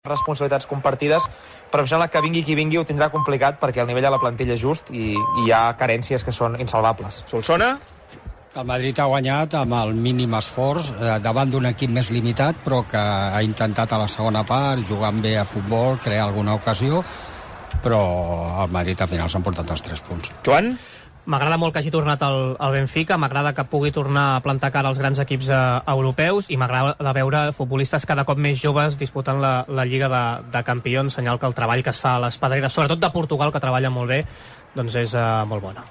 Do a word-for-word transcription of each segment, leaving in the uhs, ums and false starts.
responsabilitats compartides, però em sembla que vingui qui vingui ho tindrà complicat perquè el nivell de la plantilla és just i, i hi ha carències que són insalvables. Solsona? El Madrid ha guanyat amb el mínim esforç eh, davant d'un equip més limitat, però que ha intentat a la segona part, jugant bé a futbol, crear alguna ocasió, però el Madrid al final s'han portat els tres punts. Joan? M'agrada molt que hagi tornat al, al Benfica, m'agrada que pugui tornar a plantar cara als grans equips eh, europeus i m'agrada veure futbolistes cada cop més joves disputant la, la Lliga de, de Campions, senyal que el treball que es fa a les pedreres, sobretot de Portugal, que treballa molt bé, doncs és eh, molt bona.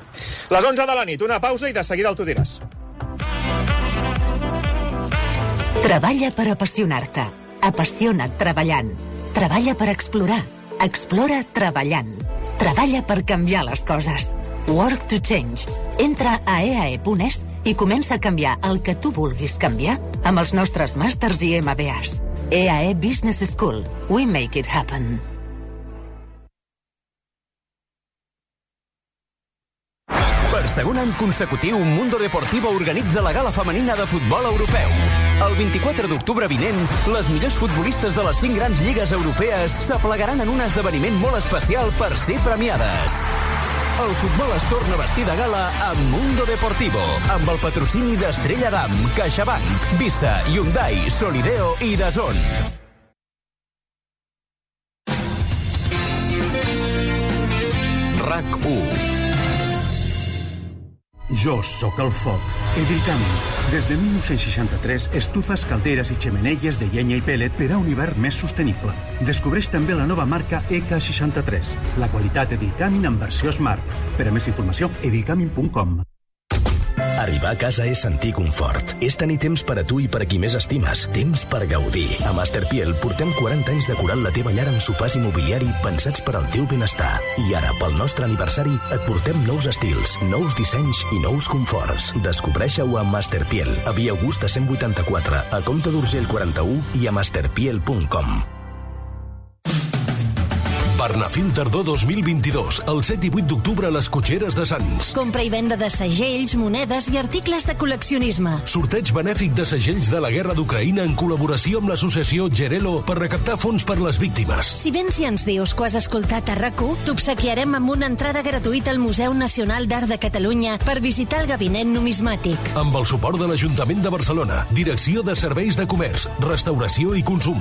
Les onze de la nit, una pausa i de seguida el tu diràs. Treballa per apassionar-te. Apassiona't treballant. Treballa per explorar. Explora treballant. Treballa per canviar les coses. Work to change. Entra a e a e punt es i comença a canviar el que tu vulguis canviar amb els nostres màsters i ema be as. E A E Business School. We make it happen. Per segon any consecutiu, Mundo Deportivo organitza la gala femenina de futbol europeu. El vint-i-quatre d'octubre vinent, les millors futbolistes de les cinc grans lligues europees s'aplegaran en un esdeveniment molt especial per ser premiades. El futbol es torna a vestir de gala amb Mundo Deportivo, amb el patrocini d'Estrella Damm, CaixaBank, Visa, Hyundai, Solideo i DAZN. RAC u. Jo sóc el foc. Edilcami. Des de mil nou-cents seixanta-tres, estufes, calderes i xemeneies de llenya i pellet per a un hivern més sostenible. Descobreix també la nova marca E K seixanta-tres. La qualitat Edilcamin en versió Smart. Per a més informació, edilcamin punt com. Arribar a casa és sentir confort. És tenir temps per a tu i per a qui més estimes. Temps per gaudir. A Masterpiel portem quaranta anys decorant la teva llar amb sofàs i mobiliari pensats per al teu benestar. I ara, pel nostre aniversari, et portem nous estils, nous dissenys i nous conforts. Descobreix-ho a Masterpiel, a Via Augusta cent vuitanta-quatre, a Comte d'Urgell quaranta-u i a masterpiel punt com. Bernafil Tardor dos mil vint-i-dos, el set i vuit d'octubre a les Cotxeres de Sants. Compra i venda de segells, monedes i articles de col·leccionisme. Sorteig benèfic de segells de la guerra d'Ucraïna en col·laboració amb l'associació Gerelo per recaptar fons per les víctimes. Si vens i ens dius que has escoltat a RAC u, t'obsequiarem amb una entrada gratuïta al Museu Nacional d'Art de Catalunya per visitar el gabinet numismàtic. Amb el suport de l'Ajuntament de Barcelona, Direcció de Serveis de Comerç, Restauració i Consum.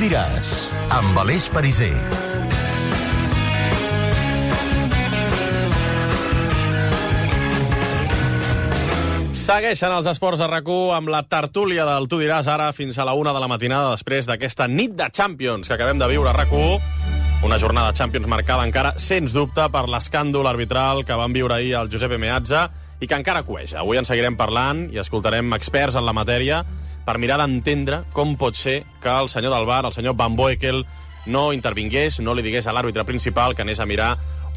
Diràs, amb Aleix Pariser. Segueixen els esports a RAC u amb la tertúlia del Tu diràs ara fins a la una de la matinada després d'aquesta nit de Champions que acabem de viure a RAC u. Una jornada de Champions marcada encara, sens dubte, per l'escàndol arbitral que van viure ahir el Giuseppe Meazza i que encara cueja. Avui en seguirem parlant i escoltarem experts en la matèria per mirar d'entendre com pot ser que el senyor del V A R, el senyor Van Boekel, no intervingués, no li digués a l'àrbitre principal que anés a mirar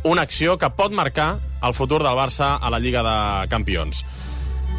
una acció que pot marcar el futur del Barça a la Lliga de Campions.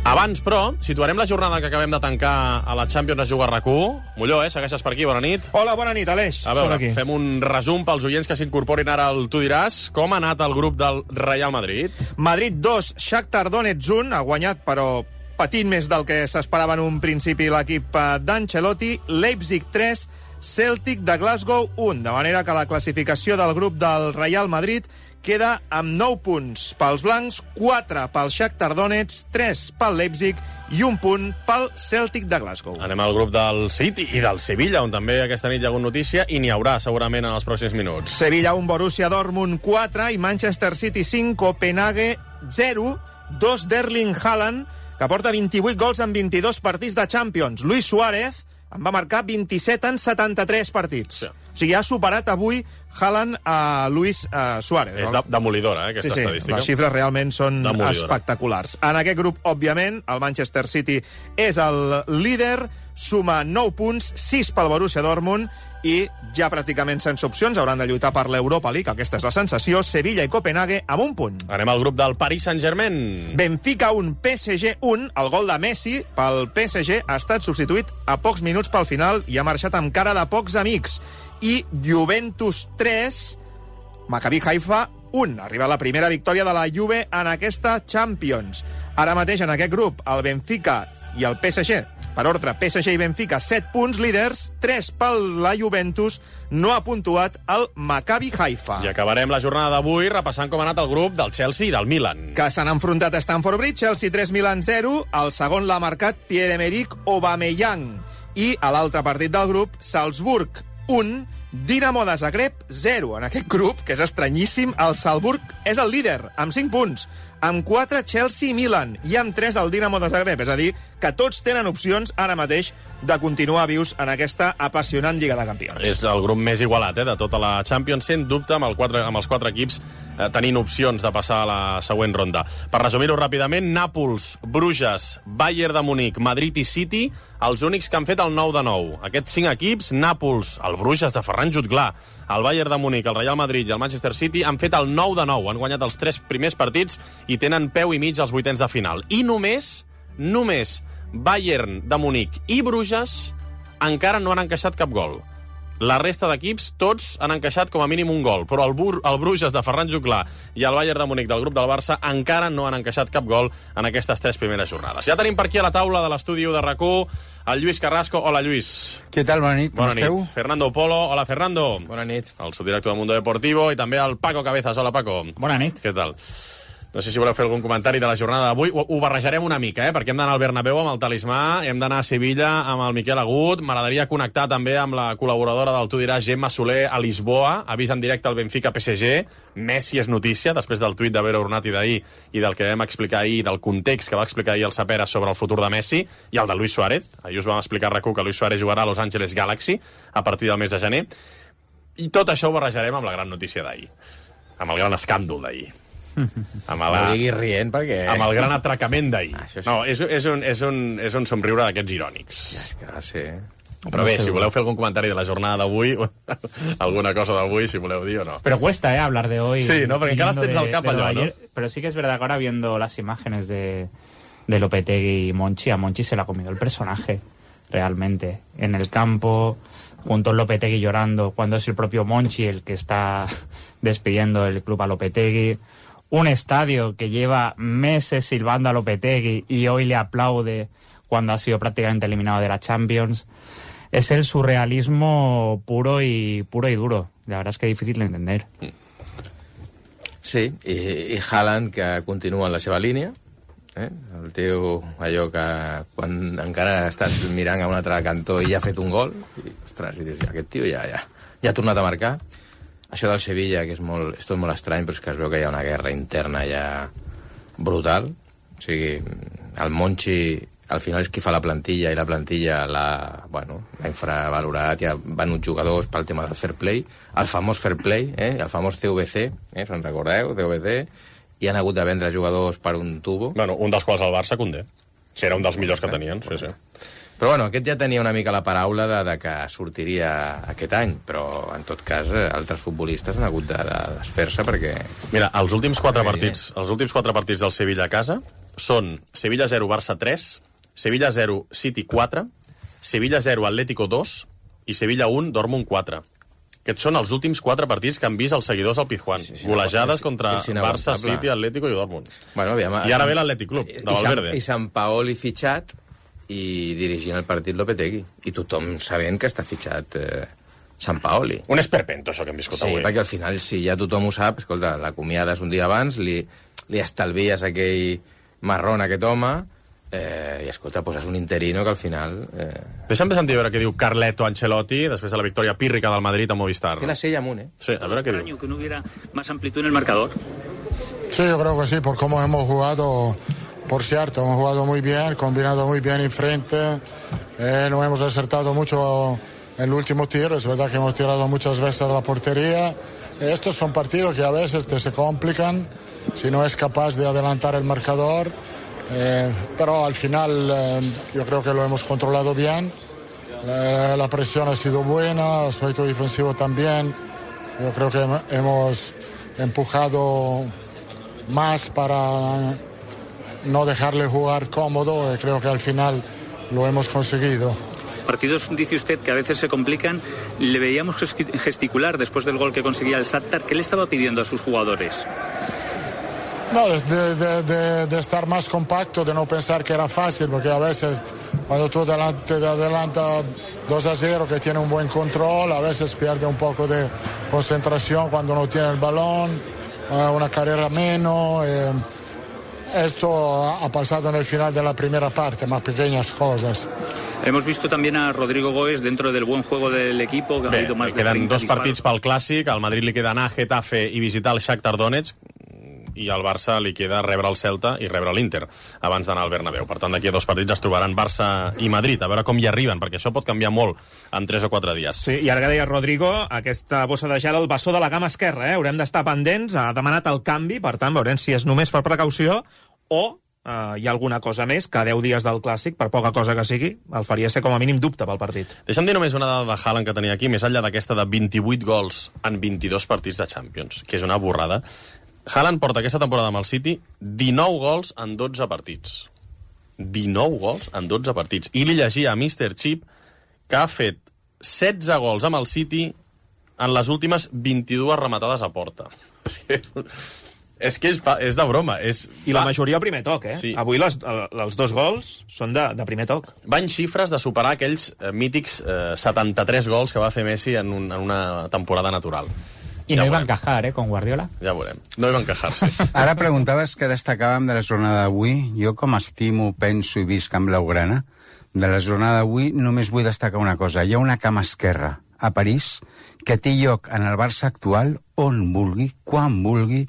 Abans, però, situarem la jornada que acabem de tancar a la Champions es juga a RAC u. Molló, eh? Segueixes per aquí, bona nit. Hola, bona nit, Aleix. A veure, fem un resum pels oients que s'incorporin ara al Tu diràs. Com ha anat el grup del Real Madrid? Madrid dos, Shakhtar Donetsk un, ha guanyat, però patint més del que s'esperava en un principi l'equip d'Ancelotti. Leipzig tres, Celtic de Glasgow un. De manera que la classificació del grup del Real Madrid queda amb nou punts pels blancs, quatre pel Shakhtar Donetsk, tres pel Leipzig i un punt pel Celtic de Glasgow. Anem al grup del City i del Sevilla, on també aquesta nit hi ha hagut notícia i n'hi haurà segurament en els pròxims minuts. Sevilla un, Borussia Dortmund quatre i Manchester City cinc, Copenhague zero, dos d'Erling Haaland, que porta vint-i-vuit gols en vint-i-dos partits de Champions. Luis Suárez en va marcar vint-i-set en setanta-tres partits. Sí. O sigui, ha superat avui Haaland a Luis uh, Suárez. És demolidora, eh, aquesta sí, sí, estadística. Les xifres realment són demolidora. Espectaculars. En aquest grup, òbviament, el Manchester City és el líder, suma nou punts, sis pel Borussia Dortmund, i ja pràcticament sense opcions hauran de lluitar per l'Europa League, aquesta és la sensació, Sevilla i Copenhague amb un punt. Anem al grup del Paris Saint-Germain. Benfica un, P S G un, el gol de Messi pel P S G ha estat substituït a pocs minuts pel final i ha marxat amb cara de pocs amics. I Juventus tres, Maccabi Haifa un. Arriba la primera victòria de la Juve en aquesta Champions. Ara mateix en aquest grup el Benfica i el P S G, per ordre, P S G i Benfica, set punts líders, tres pel la Juventus, no ha puntuat el Maccabi Haifa. I acabarem la jornada d'avui repassant com ha anat el grup del Chelsea i del Milan. Que s'han enfrontat a Stamford Bridge, Chelsea tres, Milan zero, el segon l'ha marcat Pierre-Emerick Aubameyang. I a l'altre partit del grup, Salzburg un, Dinamo de Zagreb zero. En aquest grup, que és estranyíssim, el Salzburg és el líder, amb cinc punts. Amb quatre, Chelsea i Milan, i amb tres, el Dinamo de Zagreb. És a dir, que tots tenen opcions ara mateix de continuar vius en aquesta apassionant Lliga de Campions. És el grup més igualat, eh, de tota la Champions, sent dubte amb, el quatre, amb els quatre equips eh, tenint opcions de passar a la següent ronda. Per resumir-ho ràpidament, Nàpols, Bruges, Bayern de Munic, Madrid i City, els únics que han fet el nou de nou. Aquests cinc equips, Nàpols, el Bruges de Ferran Jutglà, el Bayern de Munic, el Real Madrid i el Manchester City, han fet el nou de nou. Han guanyat els tres primers partits i tenen peu i mig als vuitens de final. I només, només Bayern de Munic i Bruges encara no han encaixat cap gol. La resta d'equips, tots han encaixat com a mínim un gol, però el, Bur el Bruges de Ferran Jutglà i el Bayern de Munic del grup del Barça encara no han encaixat cap gol en aquestes tres primeres jornades. Ja tenim per aquí a la taula de l'estudi de RAC1 el Lluís Carrasco. Hola, Lluís. Què tal? Bona nit, com Bona esteu? nit. Fernando Polo. Hola, Fernando. Bona nit. El subdirector del Mundo Deportivo, i també el Paco Cabezas. Hola, Paco. Bona nit. Què tal? No sé si voleu fer algun comentari de la jornada d'avui. Ho, ho barrejarem una mica, eh? Perquè hem d'anar al Bernabéu amb el talismà, hem d'anar a Sevilla amb el Miquel Agut. M'agradaria connectar també amb la col·laboradora del Tu diràs, Gemma Soler, a Lisboa. Avís en directe al Benfica P S G. Messi és notícia, després del tuit de Vero Ornati d'ahir i del que vam explicar ahir, del context que va explicar ahir el Sapera sobre el futur de Messi, i el de Luis Suárez. Ahir us vam explicar a RAC1 que Luis Suárez jugarà a Los Angeles Galaxy a partir del mes de gener. I tot això ho barrejarem amb la gran notícia d'ahir, amb el gran escàndol d'ahir. Amb la... No diguis rient, perquè... Amb el gran atracament d'ahir. Ah, sí. No, és, és, un, és, un, és un somriure d'aquests irònics. Ja, és que va ser... Però bé, si voleu fer algun comentari de la jornada d'avui, alguna cosa d'avui, si voleu dir o no. Pero cuesta, ¿eh? Hablar de hoy. Sí, no, perquè encara els tens al cap allò, no? Pero sí que es verdad que ahora viendo las imágenes de, de Lopetegui y Monchi, a Monchi se le ha comido el personaje, realmente. En el campo, junto a Lopetegui llorando, cuando es el propio Monchi el que está despidiendo el club a Lopetegui. Un estadio que lleva meses silbando a Lopetegui y hoy le aplaude cuando ha sido prácticamente eliminado de la Champions. Es el surrealismo puro y puro y duro. La verdad es que es difícil de entender. Sí, i, i Haaland, que continua en la seva línia, eh? El teu, allò que quan encara ha estat mirant a un altre cantó i ja ha fet un gol, i, ostres, i dius, aquest tio ja, ja, ja ha tornat a marcar. Això del Sevilla, que és, molt, és tot molt estrany, però és que es veu que hi ha una guerra interna ja brutal. O sigui, el Monchi al final és qui fa la plantilla, i la plantilla l'ha bueno, infravalorat, hi ha venut jugadors pel tema del fair play, el famós fair play, eh? El famós C V C, eh? se'n recordeu, C V C, i han hagut de vendre jugadors per un tubo. Bueno, un dels quals el Barça, Koundé, que era un dels millors que tenien, sí, sí. Però bueno, aquest ja tenia una mica la paraula de, de que sortiria aquest any, però en tot cas altres futbolistes han hagut de, de desfer-se perquè... Mira, els últims quatre partits, els últims quatre partits del Sevilla a casa són Sevilla zero, Barça tres, Sevilla zero, City quatre, Sevilla zero, Atlético dos i Sevilla un, Dortmund quatre. Aquests són els últims quatre partits que han vist els seguidors al Pizjuán. Sí, sí, golejades contra Barça, City, Atlético i Dortmund. Bueno, aviam, I ara ve l'Atlètic Club, de Valverde. I Sant Paoli fitxat i dirigint el partit Lopetegui. I tothom sabent que està fitxat eh, Sant Paoli. Un esperpento, això que hem viscut sí, avui. Sí, perquè al final, si ja tothom ho sap, escolta, l'acomiades un dia abans, li, li estalvies aquell marrón a aquest home, eh, i escolta, poses un interino que al final... Eh... Deixa'm de sentir a veure què diu Carleto Ancelotti després de la victòria pírrica del Madrid a Movistar. Que la sella amunt, eh? Sí, a veure què diu. Que no hubiera más amplitud en el marcador. Sí, yo creo que sí, por cómo hemos jugado... Por cierto, hemos jugado muy bien, combinado muy bien enfrente, eh, no hemos acertado mucho en el último tiro, es verdad que hemos tirado muchas veces a la portería. Estos son partidos que a veces te se complican si no es capaz de adelantar el marcador, eh, pero al final eh, yo creo que lo hemos controlado bien La, la presión ha sido buena, el aspecto defensivo también. Yo creo que hemos empujado más para no dejarle jugar cómodo y creo que al final lo hemos conseguido. Partidos, dice usted, que a veces se complican. Le veíamos gesticular después del gol que conseguía el Shakhtar. ¿Qué le estaba pidiendo a sus jugadores? No, de, de, de, de estar más compacto, de no pensar que era fácil, porque a veces cuando tú delante, te adelantas dos a cero, que tiene un buen control, a veces pierde un poco de concentración cuando no tiene el balón, una carrera menos. Eh, esto ha pasado en el final de la primera parte, más pequeñas cosas. Hemos visto también a Rodrigo Goes dentro del buen juego del equipo, que Bé, ha habido más de queden dos disparos. partits pel Clàssic, al Madrid li queda anar a Getafe i visitar el Shakhtar Donetsk, i al Barça li queda rebre el Celta i rebre l'Inter abans d'anar al Bernabéu. Per tant, d'aquí a dos partits es trobaran Barça i Madrid, a veure com hi arriben, perquè això pot canviar molt en tres o quatre dies. Sí, i ara que deia Rodrigo, aquesta bossa de gel al bessó de la cama esquerra, eh? Haurem d'estar pendents, ha demanat el canvi, per tant, veurem si és només per precaució o Uh, hi ha alguna cosa més, que a deu dies del Clàssic, per poca cosa que sigui, el faria ser com a mínim dubte pel partit. Deixa'm dir només una dada de Haaland que tenia aquí, més enllà d'aquesta de vint-i-vuit gols en vint-i-dos partits de Champions, que és una borrada. Haaland porta aquesta temporada amb el City dinou gols en dotze partits. dinou gols en dotze partits. I li llegia a míster Chip que ha fet setze gols amb el City en les últimes vint-i-dues rematades a porta. És que és, és de broma. És... I la majoria al primer toc, eh? Sí. Avui les, els dos gols són de, de primer toc. Va en xifres de superar aquells eh, mítics eh, setanta-tres gols que va fer Messi en, un, en una temporada natural. I ja no hi va encajar, eh, con Guardiola. Ja veurem. No hi va encajar, sí. Ara preguntaves què destacàvem de la jornada d'avui. Jo, com estimo, penso i visc amb Blaugrana, de la jornada d'avui només vull destacar una cosa. Hi ha una cama esquerra a París que té lloc en el Barça actual on vulgui, quan vulgui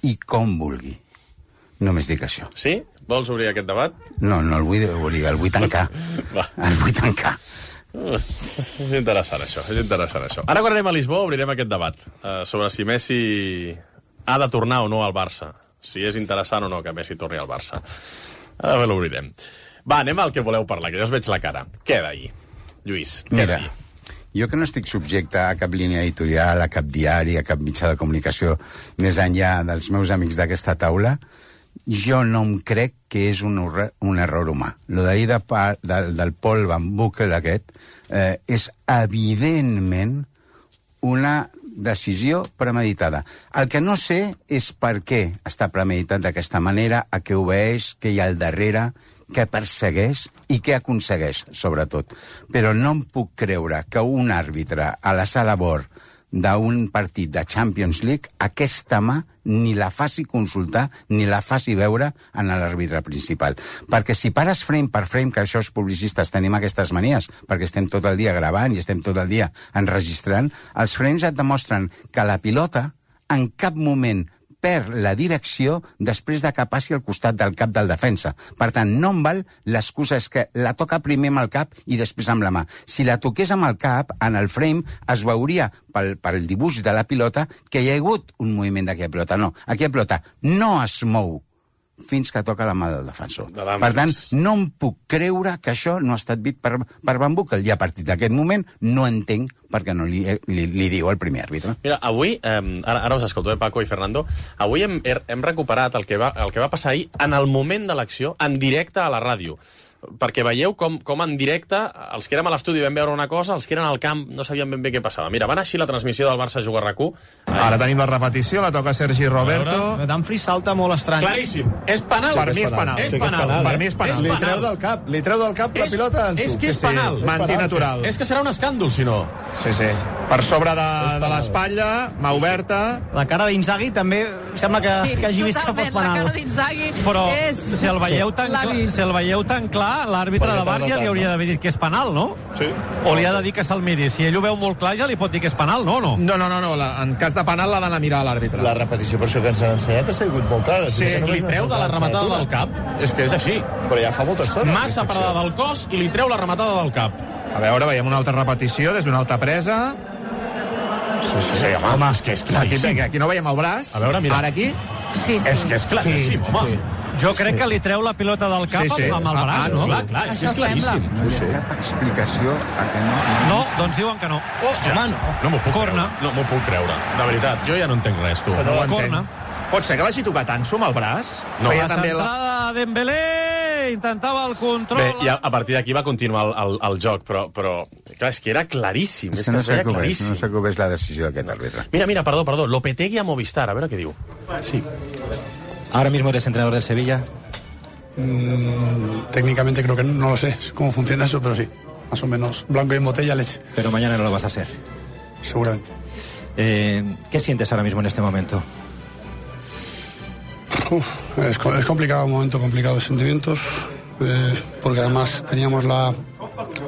i com vulgui. Només dic això. Sí? Vols obrir aquest debat? No, no el vull obrir, el vull tancar. El vull tancar. Uh, és interessant, això. És interessant, això. Ara, quan anem a Lisboa, obrirem aquest debat uh, sobre si Messi ha de tornar o no al Barça. Si és interessant o no que Messi torni al Barça. Ara l'obrirem. Va, anem al que voleu parlar, que jo us veig la cara. Què d'ahir, Lluís? Què Mira, jo que no estic subjecte a cap línia editorial, a cap diari, a cap mitjà de comunicació, més enllà dels meus amics d'aquesta taula, jo no em crec que és un, un error humà. Lo d'ahir de, de, del Paul Van Boekel aquest eh, és evidentment una decisió premeditada. El que no sé és per què està premeditat d'aquesta manera, a què obeeix, què hi ha al darrere, què persegueix i què aconsegueix, sobretot. Però no em puc creure que un àrbitre a la sala bord d'un partit de Champions League aquesta mà ni la faci consultar ni la faci veure en l'àrbitre principal. Perquè si pares frame per frame, que això els publicistes tenim aquestes manies, perquè estem tot el dia gravant i estem tot el dia enregistrant, els frames et demostren que la pilota en cap moment perd la direcció després de que passi al costat del cap del defensa. Per tant, no em val l'excusa és que la toca primer amb el cap i després amb la mà. Si la toqués amb el cap, en el frame es veuria pel, pel dibuix de la pilota que hi ha hagut un moviment d'aquella pilota. No, aquella pilota no es mou fins que toca la mà del defensor. De per tant, no em puc creure que això no ha estat vist per, per Van Boekel, i a partir d'aquest moment no entenc perquè no li, li, li diu el primer àrbitre. Mira, avui, eh, ara, ara us escolto, eh, Paco i Fernando, avui hem, hem recuperat el que, va, el que va passar ahir en el moment de l'acció, en directe a la ràdio. Perquè veieu com, com en directe els que érem a l'estudi vam veure una cosa, els que eren al camp no sabien ben bé què passava. Mira, van així la transmissió del Barça Jugar RAC u. Ara tenim la repetició, la toca Sergi Roberto. Dumfries salta molt estrany. Claríssim. És penal. Per mi és penal. És penal. Per mi és penal. Li treu del cap, li treu del cap la pilota. És que és penal. Mantí natural. És que serà un escàndol, si no. Sí, sí. Per sobre de, de l'espatlla, mà oberta. La cara d'Inzaghi també sembla que, sí, que hagi vist que fos penal. La cara d'Inzaghi Però és... si el veieu tan, clar, si el veieu tan clar, l'àrbitre de V A R ja li hauria d'haver dit que és penal, no? Sí. O li ha de dir que se'l miri. Si ell ho veu molt clar, ja li pot dir que és penal, no? No, no, no, no, no. La, en cas de penal l'ha d'anar a mirar l'àrbitre. La repetició, per això que ens han ensenyat, ha sigut molt clara. Sí, si li treu de la rematada del cap. És que és així. Però ja fa molta estona. Massa parada del cos i li treu la rematada del cap. A veure, veiem una altra repetició des d'una altra presa. Sí, sí, sí, home, és que és claríssim. Aquí, aquí no veiem el braç. A veure, mira. Ara aquí. Sí, sí. És que és claríssim, sí, home. Sí. Jo crec que li treu la pilota del cap sí, sí. amb el braç, no? Clar, clar, és que és claríssim. No hi ha cap explicació a que no... No, doncs diuen que no. Hòstia, home, no. No m'ho puc Corna. creure. No m'ho puc creure. De veritat, jo ja no entenc res, tu. No Corna. Pot ser que l'hagi tocat Ansu amb el braç? No. La centrada de Dembélé, intentava el control... Bé, i a, a partir d'aquí va continuar el, el, el joc, però, però clar, és que era claríssim. És és que no es sé veia com és, claríssim. no sé com és la decisió d'aquest àrbitre. Mira, mira, perdó, perdó, Lopetegui a Movistar, a veure què diu. Sí. Ahora mismo eres entrenador del Sevilla. Mm, técnicamente creo que no, no lo sé cómo funciona eso, pero sí. Más o menos blanco y en botella leche. Pero mañana no lo vas a ser. Seguramente. Eh, ¿Qué sientes ahora mismo en este momento? Uf, es, es complicado, un momento complicado de sentimientos, eh, porque además teníamos la,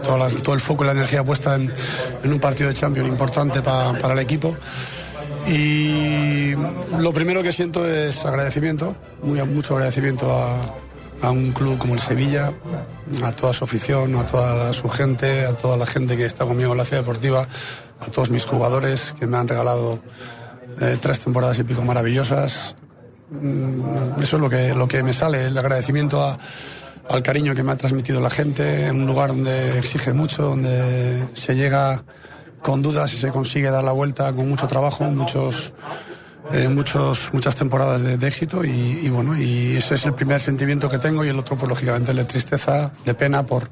toda la, todo el foco y la energía puesta en, en un partido de Champions importante pa, para el equipo. Y lo primero que siento es agradecimiento, muy, mucho agradecimiento a, a un club como el Sevilla, a toda su afición, a toda su gente, a toda la gente que está conmigo en la ciudad deportiva, a todos mis jugadores que me han regalado eh, tres temporadas y pico maravillosas. Eso es lo que, lo que me sale, el agradecimiento a, al cariño que me ha transmitido la gente, en un lugar donde exige mucho, donde se llega con dudas y se consigue dar la vuelta con mucho trabajo, muchos, eh, muchos, muchas temporadas de, de éxito y, y bueno, y ese es el primer sentimiento que tengo y el otro pues lógicamente el de tristeza, de pena por...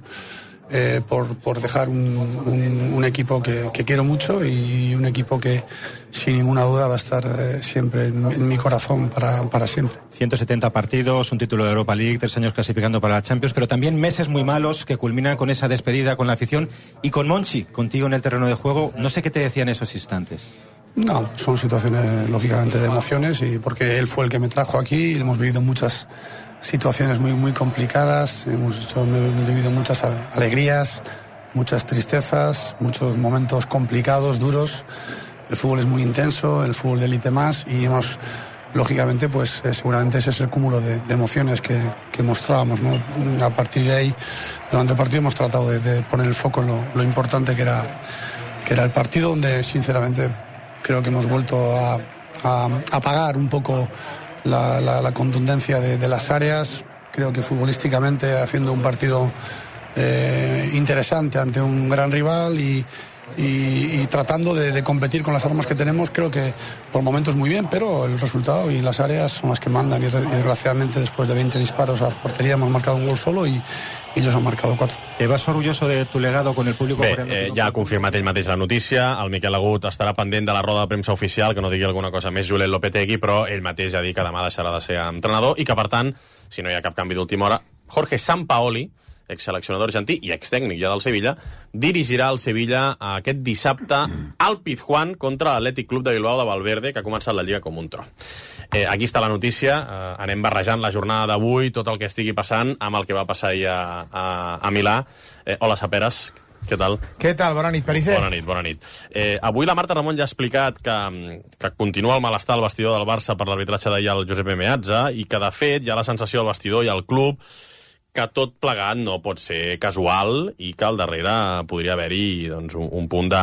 Eh, por, por dejar un, un, un equipo que, que quiero mucho y un equipo que sin ninguna duda va a estar eh, siempre en, en mi corazón para, para siempre. ciento setenta partidos, un título de Europa League, tres años clasificando para la Champions, pero también meses muy malos que culminan con esa despedida con la afición y con Monchi, contigo en el terreno de juego. No sé qué te decía en esos instantes. No, son situaciones lógicamente de emociones y porque él fue el que me trajo aquí y hemos vivido muchas situaciones muy muy complicadas, hemos, hecho, hemos vivido muchas alegrías, muchas tristezas, muchos momentos complicados, duros. El fútbol es muy intenso, el fútbol de élite más y hemos, lógicamente, pues eh, seguramente ese es el cúmulo de, de emociones que, que mostrábamos, ¿no? A partir de ahí, durante el partido hemos tratado de, de poner el foco en lo, lo importante que era, que era el partido, donde sinceramente creo que hemos vuelto a, a apagar un poco La, la, la contundencia de, de las áreas. Creo que futbolísticamente haciendo un partido eh, interesante ante un gran rival y, y, y tratando de, de competir con las armas que tenemos, creo que por momentos muy bien, pero el resultado y las áreas son las que mandan y, y desgraciadamente después de veinte disparos a la portería hemos marcado un gol solo y, y ellos han marcado cuatro. ¿Te vas orgulloso de tu legado con el público? Bé, eh, ja ha confirmat ell mateix la notícia, el Miquel Agut estarà pendent de la roda de premsa oficial, que no digui alguna cosa més Julen Lopetegui, però ell mateix ja ha dit que demà deixarà de ser entrenador i que, per tant, si no hi ha cap canvi d'última hora, Jorge Sampaoli, exseleccionador argentí i extècnic ja del Sevilla, dirigirà el Sevilla aquest dissabte al Pizjuán contra l'Atlètic Club de Bilbao de Valverde, que ha començat la Lliga com un tro. Eh, aquí està la notícia, eh, anem barrejant la jornada d'avui, tot el que estigui passant amb el que va passar ahir a, a, a Milà. Eh, hola, Saperes, què tal? Què tal? Bona nit, Perisser. Bona nit, bona nit. Eh, avui la Marta Ramon ja ha explicat que, que continua el malestar al vestidor del Barça per l'arbitratge d'ahir al Josep Meazza i que, de fet, hi ha la sensació al vestidor i al club que tot plegat no pot ser casual i que al darrere podria haver-hi doncs, un, un punt de,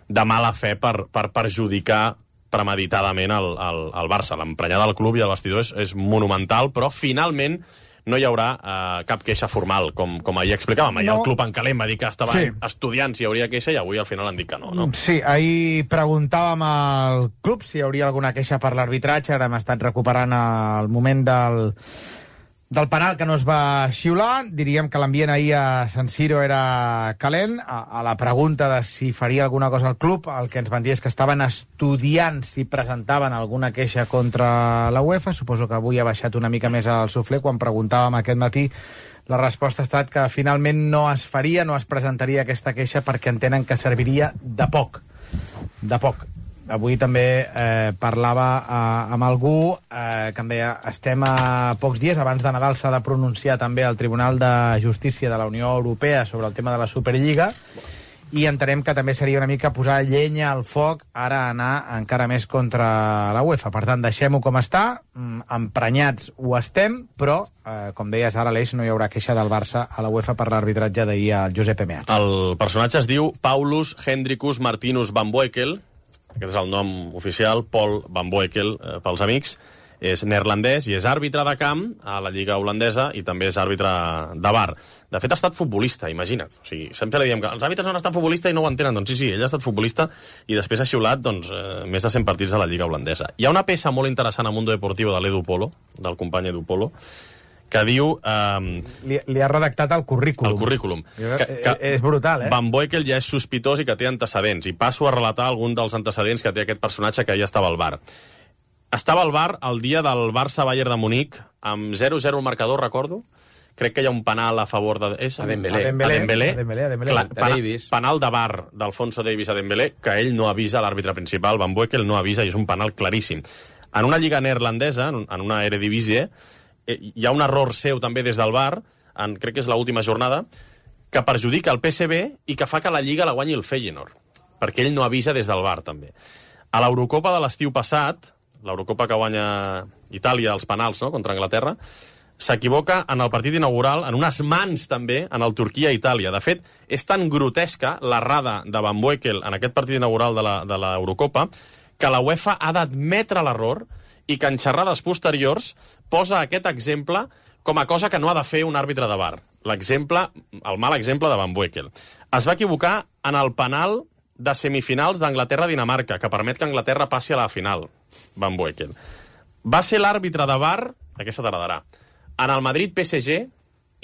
de mala fe per, per perjudicar premeditadament el, el, el Barça. L'emprenyada del club i el vestidor és, és monumental, però finalment no hi haurà eh, cap queixa formal, com, com ahir explicàvem. Ahir no. El club en calent va dir que estaven sí. estudiant si hi hauria queixa i avui al final han dit que no, no? Sí, ahir preguntàvem al club si hi hauria alguna queixa per l'arbitratge, ara hem estat recuperant el moment del... del penal que no es va xiular. Diríem que l'ambient ahir a San Siro era calent. A, a la pregunta de si faria alguna cosa al club, el que ens van dir és que estaven estudiant si presentaven alguna queixa contra la UEFA. Suposo que avui ha baixat una mica més al suflé. Quan preguntàvem aquest matí, la resposta ha estat que finalment no es faria, no es presentaria aquesta queixa perquè entenen que serviria de poc. De poc. Avui també eh, parlava eh, amb algú eh, que em deia estem a pocs dies, abans de Nadal s'ha de pronunciar també el Tribunal de Justícia de la Unió Europea sobre el tema de la Superliga i entenem que també seria una mica posar llenya al foc ara anar encara més contra la UEFA. Per tant, deixem-ho com està, emprenyats ho estem, però, eh, com deies ara, Aleix, no hi haurà queixa del Barça a la UEFA per l'arbitratge d'ahir al Josep Meazza. El personatge es diu Paulus Hendrikus Martinus Van Boekel. Aquest és el nom oficial, Paul Van Boekel, eh, pels amics. és neerlandès i és àrbitre de camp a la Lliga holandesa i també és àrbitre de V A R. De fet, ha estat futbolista, imagina't. O sigui, sempre diem que els àrbitres no han estat futbolista i no ho entenen. Doncs sí, sí, ell ha estat futbolista i després ha xiulat doncs, eh, més de cent partits a la Lliga holandesa. Hi ha una peça molt interessant a Mundo Deportivo de l'Edu Polo, del company Edu Polo, que diu... Eh, li, li ha redactat el currículum. El currículum. Que, que és brutal, eh? Van Boekel ja és sospitós i que té antecedents. I passo a relatar algun dels antecedents que té aquest personatge que ja estava al V A R. Estava al V A R el dia del Barça-Bayern de Munic, amb zero zero el marcador, recordo. Crec que hi ha un penal a favor de... És? A Dembélé. A Dembélé. A Dembélé. A Dembélé, a Dembélé. Clar, De Davis. Penal de V A R d'Alfonso Davis a Dembélé, que ell no avisa l'àrbitre principal, Van Boekel no avisa, i és un penal claríssim. En una lliga neerlandesa, en una Eredivisie, hi ha un error seu també des del V A R, en, crec que és l'última jornada, que perjudica el P S V i que fa que la Lliga la guanyi el Feyenoord, perquè ell no avisa des del V A R, també. A l'Eurocopa de l'estiu passat, l'Eurocopa que guanya Itàlia als penals, no?, contra Anglaterra, s'equivoca en el partit inaugural, en unes mans també, en el Turquia-Itàlia. De fet, és tan grotesca l'errada de Van Boekel en aquest partit inaugural de l'Eurocopa que la UEFA ha d'admetre l'error i que en xerrades posteriors posa aquest exemple com a cosa que no ha de fer un àrbitre de V A R. L'exemple, el mal exemple de Van Boekel. Es va equivocar en el penal de semifinals d'Anglaterra-Dinamarca, que permet que Anglaterra passi a la final, Van Boekel. Va ser l'àrbitre de V A R, aquesta t'agradarà, en el Madrid-P S G,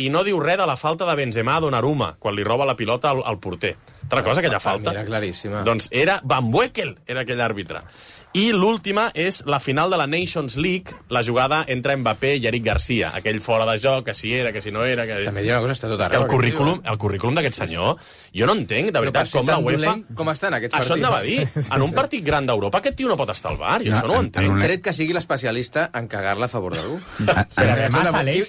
i no diu res de la falta de Benzema a Donnarumma, quan li roba la pilota al, al porter. Te'n recordes aquella falta? Era claríssima. Doncs era Van Boekel, era aquell àrbitre. I l'última és la final de la Nations League, la jugada entre Mbappé i Eric Garcia, aquell fora de joc, que si era, que si no era... Que... També diu una cosa, està tot arreu. És que el currículum, el currículum d'aquest senyor, jo no entenc, de veritat, com la UEFA... Com estan aquests partits? Això et anava a dir. En un partit gran d'Europa, aquest tio no pot estar al V A R, jo no, això no ho entenc. Tret que sigui l'especialista en cagar-la a favor d'algú.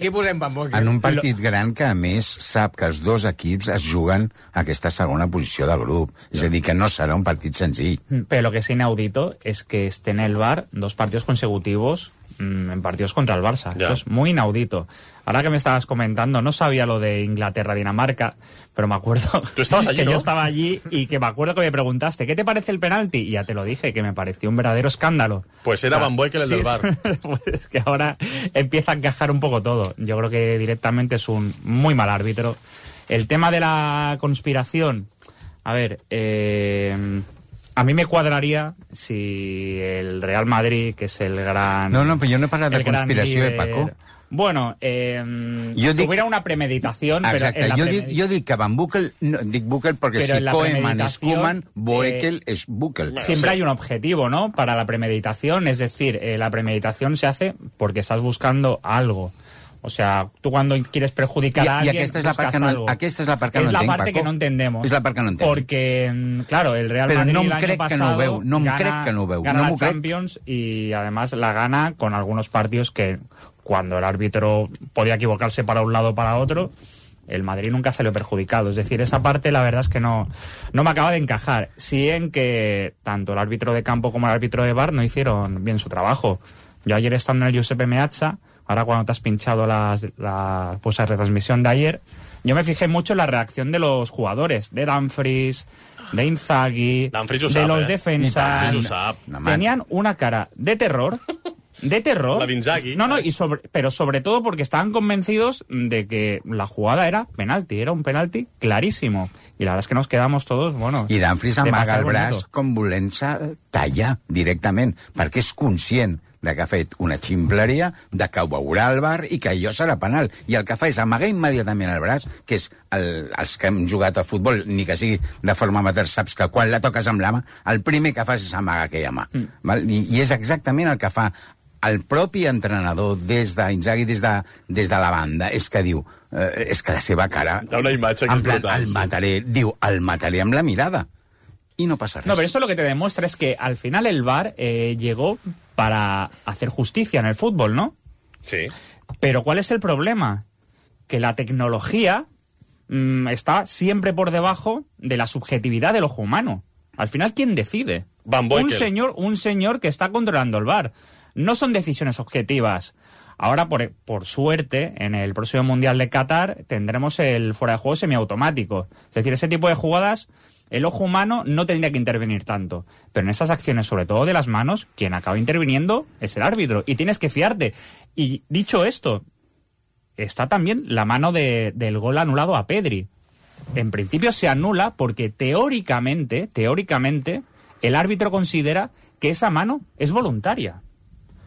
Qui posem Van Boekel? En un partit gran que, a més, sap que els dos equips es juguen aquesta segona posició del grup. És a dir, que no serà un partit senzill. Pero lo que es inaudito es que esté en el V A R dos partidos consecutivos mmm, en partidos contra el Barça. Ya. Eso es muy inaudito. Ahora que me estabas comentando, no sabía lo de Inglaterra-Dinamarca, pero me acuerdo ¿Tú estabas allí, que ¿no? yo estaba allí y que me acuerdo que me preguntaste, ¿qué te parece el penalti? Y ya te lo dije, que me pareció un verdadero escándalo. Pues era o sea, Van Boekel el sí, del V A R. Pues que ahora empieza a encajar un poco todo. Yo creo que directamente es un muy mal árbitro. El tema de la conspiración, a ver... Eh, a mí me cuadraría si el Real Madrid, que es el gran... No, no, però jo no he parlat de conspiració, líder, eh, Paco? Bueno, eh, jo dic, tuviera una premeditación... Exacte, pero en la jo, premeditación, dic, jo dic que Van Boekel, no, dic Boekel perquè si Koeman és Koeman, Boekel eh, es Boekel. Siempre hay un objetivo, ¿no?, para la premeditación, es decir, eh, la premeditación se hace porque estás buscando algo. O sea, tú cuando quieres perjudicar I, a alguien, i aquesta és la part que no, algo. Aquesta és la part que es no la entenc, parte Paco. que no entendemos. És la part que no entenc. Porque, claro, el Real Pero Madrid no el año crec pasado que no ho veu, no em gana, crec que no ho veu. gana No la crec. Champions y además la gana con algunos partidos que cuando el árbitro podía equivocarse para un lado o para otro, el Madrid nunca salió perjudicado. Es decir, esa parte la verdad es que no, no me acaba de encajar. Sí en que tanto el árbitro de campo como el árbitro de V A R no hicieron bien su trabajo. Yo ayer estando en el Giuseppe Meazza, ahora cuando te has pinchado las, la, pues la retransmisión de ayer, yo me fijé mucho en la reacción de los jugadores, de Dumfries, de Inzaghi, de sap, los eh? defensas. Tenían una cara de terror, de terror. La de Inzaghi. No, no, y sobre, pero sobre todo porque estaban convencidos de que la jugada era penalti, era un penalti clarísimo. Y la verdad es que nos quedamos todos, bueno... I Dumfries amaga el braç com volent-se tallar directament, perquè és conscient de que ha fet una ximpleria, de que ho veurà el V A R i que allò serà penal. I el que fa és amagar immediatament el braç, que és el, els que hem jugat a futbol, ni que sigui de forma amateur, saps que quan la toques amb la mà, el primer que fas és amagar aquella mà. Mm. Val? I, I és exactament el que fa el propi entrenador des d'Inzaghi, des, de, des de la banda, és que diu, eh, és que la seva cara... Hi ha una imatge que en plan, és brutal. El mataré, diu, el mataré amb la mirada. Y no pasa res. No, pero esto lo que te demuestra es que al final el V A R eh, llegó para hacer justicia en el fútbol, ¿no? Sí. Pero ¿cuál es el problema? Que la tecnología mmm, está siempre por debajo de la subjetividad del ojo humano. Al final, ¿quién decide? Van Boekel. Un señor, un señor que está controlando el V A R. No son decisiones objetivas. Ahora, por, por suerte, en el próximo Mundial de Qatar tendremos el fuera de juego semiautomático. Es decir, ese tipo de jugadas el ojo humano no tendría que intervenir tanto. Pero en esas acciones, sobre todo de las manos, quien acaba interviniendo es el árbitro. Y tienes que fiarte. Y dicho esto, está también la mano de, del gol anulado a Pedri. En principio se anula porque teóricamente, teóricamente, el árbitro considera que esa mano es voluntaria.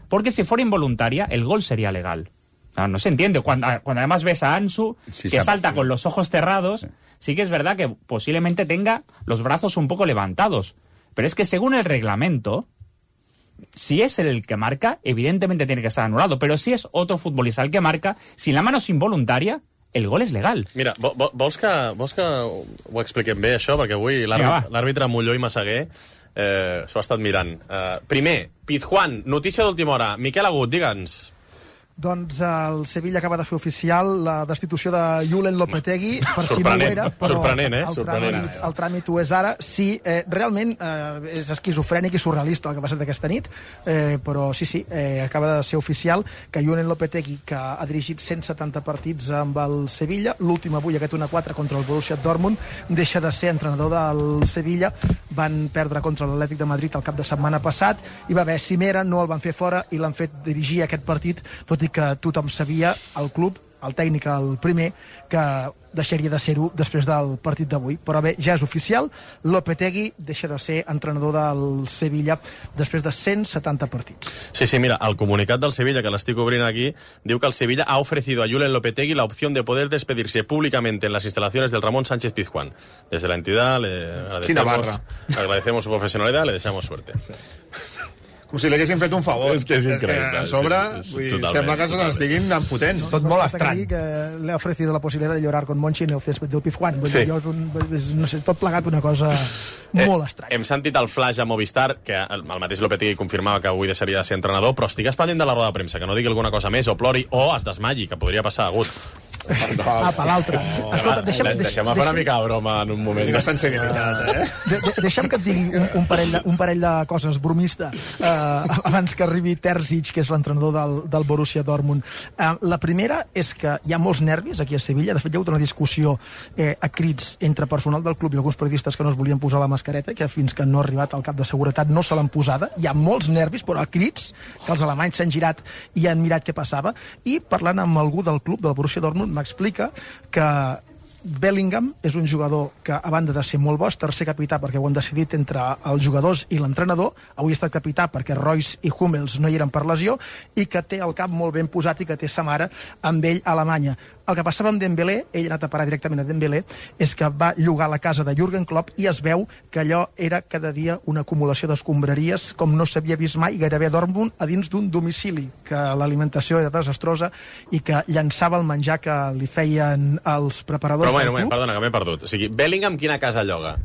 Porque si fuera involuntaria, el gol sería legal. No, no se entiende. Cuando, cuando además ves a Ansu, sí, que salta con los ojos cerrados, sí. sí que es verdad que posiblemente tenga los brazos un poco levantados. Pero es que según el reglamento, si es él el que marca, evidentemente tiene que estar anulado. Pero si es otro futbolista el que marca, si la mano es involuntaria, el gol és legal. Mira, vols que, vols que ho expliquem bé, això? Perquè avui l'àrbitre Molló i Massaguer eh, s'ho ha estat mirant. Eh, primer, Pizjuán, notícia d'última hora. Miquel Agut, digue'ns. Doncs el Sevilla acaba de fer oficial la destitució de Julen Lopetegui, per si no ho era, però sorprenent, eh? el, sorprenent. Tràmit, el tràmit ho és ara. Sí, eh, realment eh, és esquizofrènic i surrealista el que ha passat aquesta nit, eh, però sí, sí, eh, acaba de ser oficial que Julen Lopetegui, que ha dirigit cent setanta partits amb el Sevilla, l'últim avui, aquest un a quatre contra el Borussia Dortmund, deixa de ser entrenador del Sevilla. Van perdre contra l'Atlètic de Madrid el cap de setmana passat, hi va haver cimera, no el van fer fora i l'han fet dirigir aquest partit, tot i que tothom sabia, el club, el tècnic, el primer, que deixaria de ser-ho després del partit d'avui. Però bé, ja és oficial, Lopetegui deixa de ser entrenador del Sevilla després de cent setanta partits. Sí, sí, mira, el comunicat del Sevilla, que l'estic obrint aquí, diu que el Sevilla ha ofrecido a Julen Lopetegui la opción de poder despedirse públicamente en las instalaciones del Ramón Sánchez Pizjuán. Desde la entidad le agradecemos, agradecemos su profesionalidad, le deseamos suerte. Sí. Com si li haguessin fet un favor. És que és increïble. És que a sobre, sí, vull dir, sembla que se n'estiguin enfotents. No, tot no, molt hasta estrany. Que le ha ofrecido la posibilidad de llorar con Monchi en el césped del Pizjuán. Sí. És un, és, no sé, tot plegat una cosa eh, molt estranya. Hem sentit el flash a Movistar, que el, el mateix Lopetegui confirmava que avui deixaria de ser entrenador, però estigues pendent de la roda de premsa, que no digui alguna cosa més, o plori, o es desmalli, que podria passar, Agut. Ah, per l'altre. Oh, Escolta, deixa'm, deixa'm fer una mica de broma en un moment. De sensibilitat, eh? De, de, deixa'm que et digui un, un, parell de, un parell de coses bromista eh, abans que arribi Terzic, que és l'entrenador del, del Borussia Dortmund. Eh, la primera és que hi ha molts nervis aquí a Sevilla. De fet, hi ha hagut una discussió eh, a crits entre personal del club i alguns periodistes que no es volien posar la mascareta, que fins que no ha arribat al cap de seguretat no se l'han posada. Hi ha molts nervis, però a crits, que els alemanys s'han girat i han mirat què passava. I parlant amb algú del club, del Borussia Dortmund, m'explica que Bellingham és un jugador que, a banda de ser molt bo, és tercer capità perquè ho han decidit entre els jugadors i l'entrenador. Avui ha estat capità perquè Royce i Hummels no hi eren per lesió i que té el cap molt ben posat i que té sa mare amb ell a Alemanya. El que passava amb Dembélé, ell ha anat a parar directament a Dembélé, és que va llogar la casa de Jürgen Klopp i es veu que allò era cada dia una acumulació d'escombraries com no s'havia vist mai gairebé a Dortmund a dins d'un domicili, que l'alimentació era desastrosa i que llançava el menjar que li feien els preparadors. Però moment, moment, perdona, que m'he perdut. O sigui, Bellingham quina casa lloga?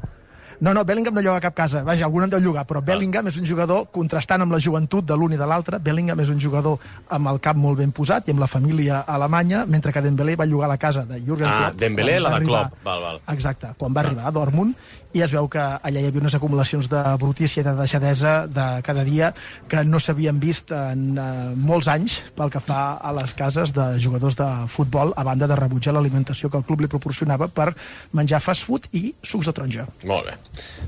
No, no, Bellingham no lloga cap casa. Vaja, algun en deu llogar, però Bellingham és un jugador contrastant amb la joventut de l'un i de l'altre. Bellingham és un jugador amb el cap molt ben posat i amb la família alemanya, mentre que Dembélé va llogar la casa de Jürgen ah, Klopp. Ah, Dembélé, la de Klopp. Val, val. Exacte, quan va ah. arribar a Dortmund, i es veu que allà hi havia unes acumulacions de brutícia i de deixadesa de cada dia que no s'havien vist en uh, molts anys pel que fa a les cases de jugadors de futbol, a banda de rebutjar l'alimentació que el club li proporcionava per menjar fast food i sucs de taronja. Molt bé.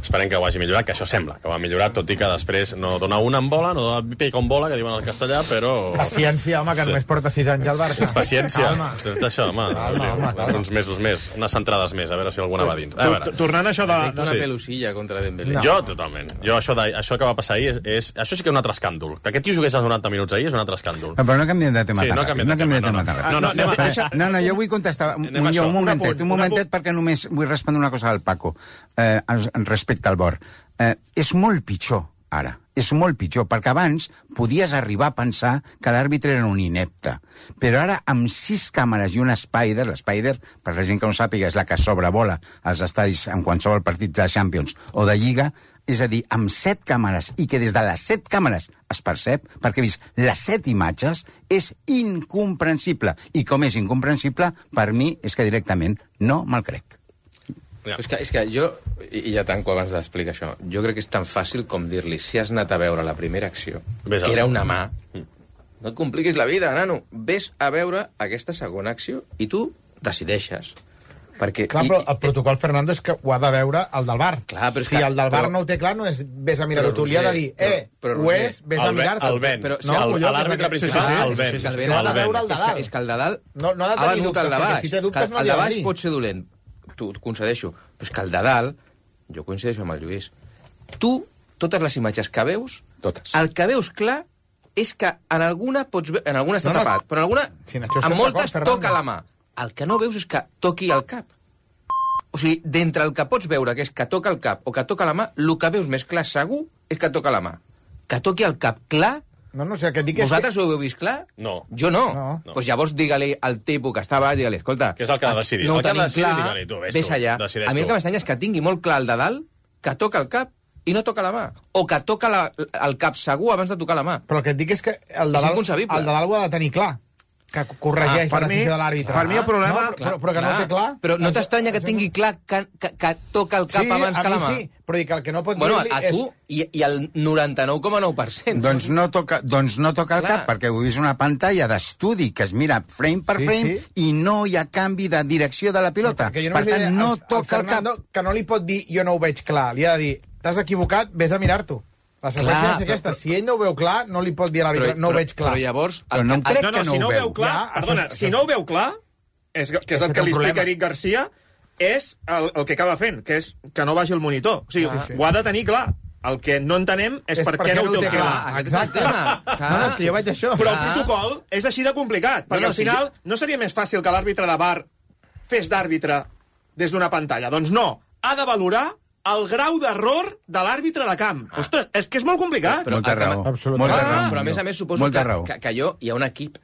Esperem que ho hagi millorat, que això sembla que ho ha millorat, tot i que després no dona una en bola, no dona pica en bola, que diuen al castellà, però... Paciència, home, que sí. Només porta sis anys al Barça. Paciència. És d'això, home. Calma, home, calma. Uns mesos més, unes centrades més, a veure si alguna va dins. A veure. Tornant a això de... Una sí. pelusilla contra Dembélé. No. Jo, totalment. Jo, això, de, això que va passar ahir, és, és, això sí que és un altre escàndol. Que aquest tio jugués als noranta minuts ahir és un altre escàndol. No, però no canviem de tema. Sí, no canviem de tema. No, no, no, no, no, no, no, jo vull contestar. Un, jo, un momentet, un momentet, perquè només vull respondre una cosa al Paco, eh, respecte al Bor. Eh, és molt pitjor, ara. És molt pitjor, perquè abans podies arribar a pensar que l'àrbitre era un inepte. Però ara, amb sis càmeres i un Spider, l'Spider, per la gent que no sàpiga, és la que sobrevola als estadis en qualsevol partit de Champions o de Lliga, és a dir, amb set càmeres, i que des de les set càmeres es percep, perquè he vist les set imatges, és incomprensible. I com és incomprensible, per mi és que directament no me'l crec. Ja. És, que, és que jo, i ja tanco abans d'explicar això, jo crec que és tan fàcil com dir-li si has anat a veure la primera acció, Ves que era una mà, no et compliquis la vida, nano. Ves a veure aquesta segona acció i tu decideixes. Perquè, Clar, però el protocol, Fernando, és que ho ha de veure el del bar. Clar, però és si que- el del bar però- no ho té clar, no és vés a mirar-ho Però, tu. Li ha de Roger, dir, eh, però- però, ho Roger, és, vés a el Ben- mirar-te. el Ben. Però, No, el- collons, l'àrbitre és que- principal, sí, sí, el sí, Ben. és que el El Ben Ben ha ha de de veure el de és, que, dalt. és que el de dalt No, no ha de ha tenir venut dubtes, el de perquè baix. si té dubtes Que no el li de ha de baix dir. pot ser dolent, t'ho t'ho concedeixo, però és que el de dalt, jo coincideixo amb el Lluís, tu, totes les imatges que veus, Totes. el que veus clar és que en alguna pots ve... en alguna està No, no, tapat, però en alguna, si en això estem en moltes d'acord, Fernando. toca la mà. El que no veus és que toqui el cap. O sigui, d'entre el que pots veure, que és que toca el cap o que toca la mà, el que veus més clar segur és que toca la mà. Que toqui el cap clar. No, no, o sigui, el que et dic és Vosaltres que... ho heu vist clar? No. Jo no. No. Doncs pues llavors digue-li al tipus que està baix, digue-li, escolta... Que és el que ha de decidir. No El ho que ha de tenim decidir, clar, digue-li, tu, ves ves tu, allà. decideix A mi el tu. que m'estranya és que tingui molt clar el de dalt, que toca el cap i no toca la mà. O que toca la, el cap segur abans de tocar la mà. Però el que et dic és que el de És dalt, inconcebible. el de dalt ho ha de tenir clar, que corregeix Ah, per la decisió mi- de l'àrbitre. per mi el problema- No, però, però que no ho té clar... Però no t'estranya que tingui clar que, que, que toca el cap sí, abans a que la mi mà? sí, però dic que el que no pot Bueno, dir-li a és... tu i, i el noranta-nou coma nou per cent. Doncs no toca, doncs no toca el Clar. cap, perquè ho he vist una pantalla d'estudi que es mira frame per Sí, frame sí. i no hi ha canvi de direcció de la pilota. Perquè jo Per només li tant, diré no al- al toca el cap. Fernando que no li pot dir jo no ho veig clar, li ha de dir t'has equivocat, vés a mirar-t'ho. La seqüència Clar, és aquesta, però- si ell no ho veu clar, no li pot dir a l'àrbitre, no ho veig clar. Però llavors... Però no em crec No, no, que no si ho no ho veu. veu clar, Ja, perdona, això- si això- no ho veu clar, és, que és el que que té li un explica problema. Eric Garcia, és el, el que acaba fent, que és que no vagi al monitor. O sigui, Sí, sí. ho ha de tenir clar. El que no entenem és, És per què no ho té clar. Aquest és el tema. Clar. No, no, és que jo vaig això. Però el Clar. protocol és així de complicat, perquè no, al sí, final no seria més fàcil que l'àrbitre de bar fes d'àrbitre des d'una pantalla. Doncs no, ha de valorar el grau d'error de l'àrbitre de camp. Ah. Ostres, és que és molt complicat. Però, Molta el que- raó. Absolutament. Molta Ah, raó. Però a més a més suposo Molta que, raó. que, que jo hi ha un equip.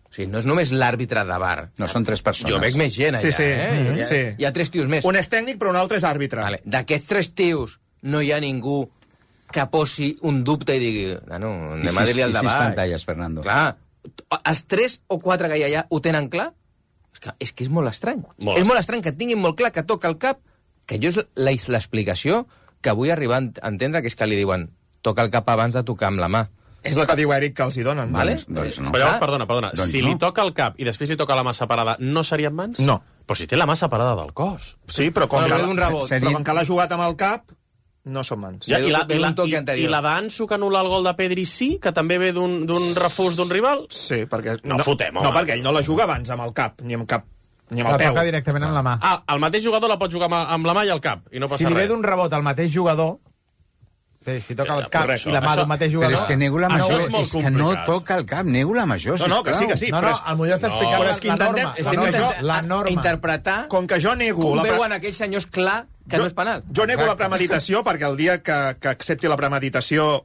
O sigui, no és només l'àrbitre de bar. No, són tres persones. Jo veig més gent allà, Sí, sí. eh? Mhm. Hi ha, Sí. hi ha tres tios més. Un és tècnic, però un altre és àrbitre. Vale. D'aquests tres tios no hi ha ningú que posi un dubte i digui no, no, I anem a sis, dir-li al i sis davant. pantalles, Fernando. Clar, els tres o quatre que hi ha allà ho tenen clar? És que és, que és molt estrany. Molt és molt estrany que tinguin molt clar que toca el cap, que jo és la- l'explicació que vull arribar a entendre, que és que li diuen toca el cap abans de tocar amb la mà. És el que diu Eric que els hi donen. Vale? Doncs, doncs no. Però llavors, Ah, perdona, perdona, doncs si no. li toca el cap i després li toca la mà separada, no serien mans? No. Però si té la mà separada del cos. Sí, però com, Bueno, que, ve d'un rebot. però com que l'ha jugat amb el cap, no són mans. Ja, Ve i, la, d'un- i, la, ve d'un toc i, anterior. I la d'Ansu que anul·la el gol de Pedri sí, que també ve d'un d'un refús d'un rival? Sí, perquè... No fotem, home. No, perquè ell no la juga abans amb el cap, ni amb cap, ni amb La el peu. toca directament amb la mà. Ah, el mateix jugador la pot jugar amb, amb la mà i el cap, i no passa Si li ve res. d'un rebot al mateix jugador, sí, si toca el cap correcte. i la mà Això- d'un mateix Però jugador... és que nego la Això major, és és, molt que no complicat. toca el cap, nego la major, No, no, que sí, que sí. No, però no, és- el Molló està No, explicant però la, és que la intentem- norma. Estem la, intentant norma, la norma. interpretar Com que jo nego... com la pre- veuen aquells senyors clar que jo, no és penal. Jo nego Exacte. la premeditació perquè el dia que, que accepti la premeditació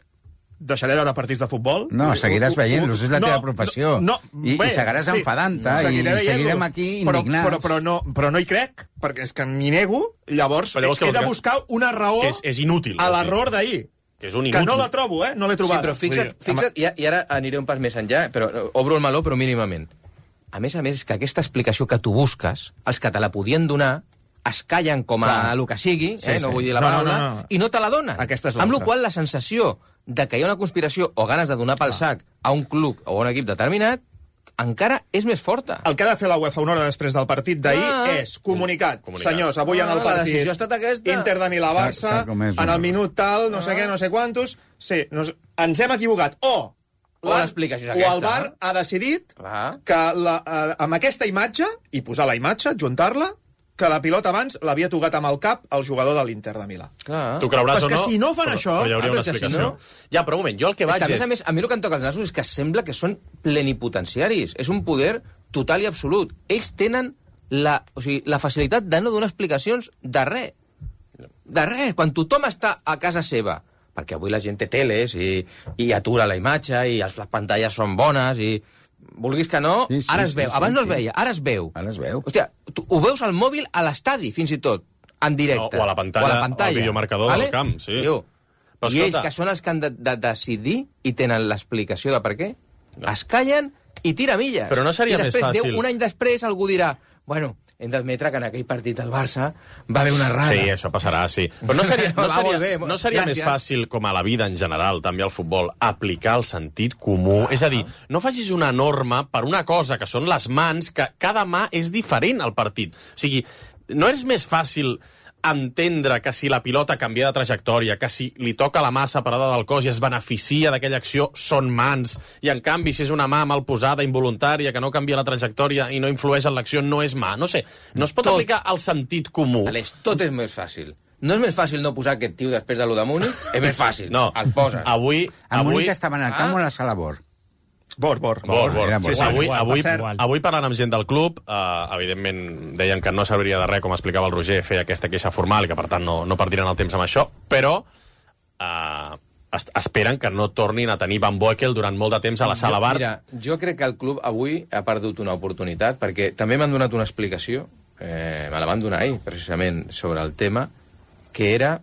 deixaré de veure partits de futbol. No, seguiràs veient-los, és la No, teva professió. No, I, i seguiràs enfadant-te, i seguiré seguirem veient-los. aquí però, indignats. Però, però, no, però no hi crec, perquè és que m'hi nego, llavors, Però llavors què he vols de que- buscar una raó És, és inútil. a vols dir. l'error d'ahir. Que és un Que inútil. no la trobo, eh? No l'he Sí, trobat. però fixa't, Vull dir, fixa't i, i ara aniré un pas més enllà, però eh, obro el meló, però mínimament. A més a més, és que aquesta explicació que tu busques, els que te la podien donar, es callen com a Clar. el que sigui, Sí, eh, no sí. vull dir la No, no, paraula, no, no. i no te la donen. Aquesta és Amb la l'altra. qual la sensació de que hi ha una conspiració o ganes de donar pel sac a un club o a un equip determinat encara és més forta. El que ha de fer la UEFA una hora després del partit d'ahir Ah. és comunicat. Comunicat. Senyors, avui en el Ah, la partit decisió ha estat aquesta. Inter de Milà-Barça, S'ha- s'ha comès en una- el minut tal, no sé què, no sé quantos... Sí, nos, ens hem equivocat. O, O la- l'explicació és o el aquesta. V A R ha decidit Ah. que la, eh, amb aquesta imatge, i posar la imatge, juntar-la, que la pilota abans l'havia tocat amb el cap al jugador de l'Inter de Milà. Clar. Tu creuràs Però és o que no... si no fan però, això- Però hi hauria Ah, una però que si explicació. no- Ja, però un moment, jo el que És vaig que, a més és... a més, a mi el que em toca els nassos és que sembla que són plenipotenciaris. És un poder total i absolut. Ells tenen la, o sigui, la facilitat de no donar explicacions de res. De res. Quan tothom està a casa seva, perquè avui la gent té teles i, i atura la imatge i els, les pantalles són bones i... Vulguis que no, Sí, sí, ara es sí, veu. sí, Abans no es sí. veia, ara es veu. Ara es veu. Hòstia, tu ho veus al mòbil a l'estadi, fins i tot, en directe. No, o a la pantalla, o a la pantalla. al videomarcador del camp, sí. Tio, Però I ells, escolta- que són els que han de, de decidir i tenen l'explicació de per què, no. es callen i tira milles. Però no seria I després, més fàcil- Déu, un any després, algú dirà, bueno, hem d'admetre que en aquell partit del Barça va haver una errada. Sí, això passarà, sí. Però no seria, no Va, seria, molt bé, no seria més fàcil, com a la vida en general, també al futbol, aplicar el sentit comú? És a dir, no facis una norma per una cosa, que són les mans, que cada mà és diferent al partit. O sigui, no és més fàcil entendre que si la pilota canvia de trajectòria, que si li toca la mà separada del cos i es beneficia d'aquella acció, són mans, i en canvi si és una mà mal posada, involuntària, que no canvia la trajectòria i no influeix en l'acció, no és mà. No sé, no es pot tot aplicar el sentit comú. Aleix, tot és més fàcil. No és més fàcil no posar aquest tio després de lo de Múnich? És més fàcil. No, el poses. Avui... A avui... Múnich estaven al camp o a la sala Bor? Bor, bor. Bor, bor. Era bor. Sí, sí, avui, Igual, avui, igual. avui parlant amb gent del club, eh, evidentment deien que no serviria de res, com explicava el Roger, fer aquesta queixa formal i que, per tant, no, no perdien el temps amb això, però eh, es esperen que no tornin a tenir Van Boekel durant molt de temps a la sala bar. Mira, jo crec que el club avui ha perdut una oportunitat, perquè també m'han donat una explicació, eh, me la van donar ahir, precisament, sobre el tema, que era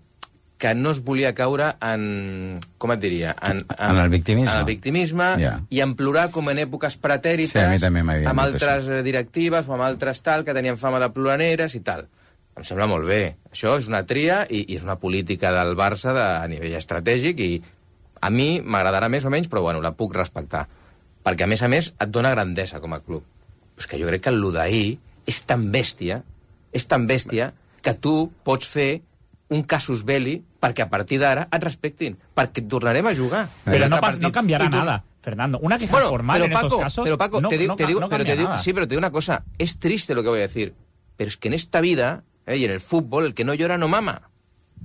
que no es volia caure en... com et diria? En, en, en el victimisme. En el victimisme yeah. i en plorar com en èpoques pretèrites, sí, a mi també m'havien amb dit altres això. directives o amb altres tal, que tenien fama de ploraneres i tal. Em sembla molt bé. Això és una tria i, i és una política del Barça de, a nivell estratègic i a mi m'agradarà més o menys, però bueno, la puc respectar. Perquè, a més a més, et dona grandesa com a club. Però és que jo crec que el d'ahir és tan bèstia, és tan bèstia, que tu pots fer un casus belli perquè a partir d'ara et respectin, perquè et tornarem a jugar. Pero no, no cambiará tu... nada, Fernando. Una queja bueno, formal pero en Paco, estos casos pero Paco, no, te digo, no, te digo, no pero cambia te digo, nada. sí, pero te digo una cosa, es triste lo que voy a decir, pero es que en esta vida, eh, y en el fútbol, el que no llora no mama.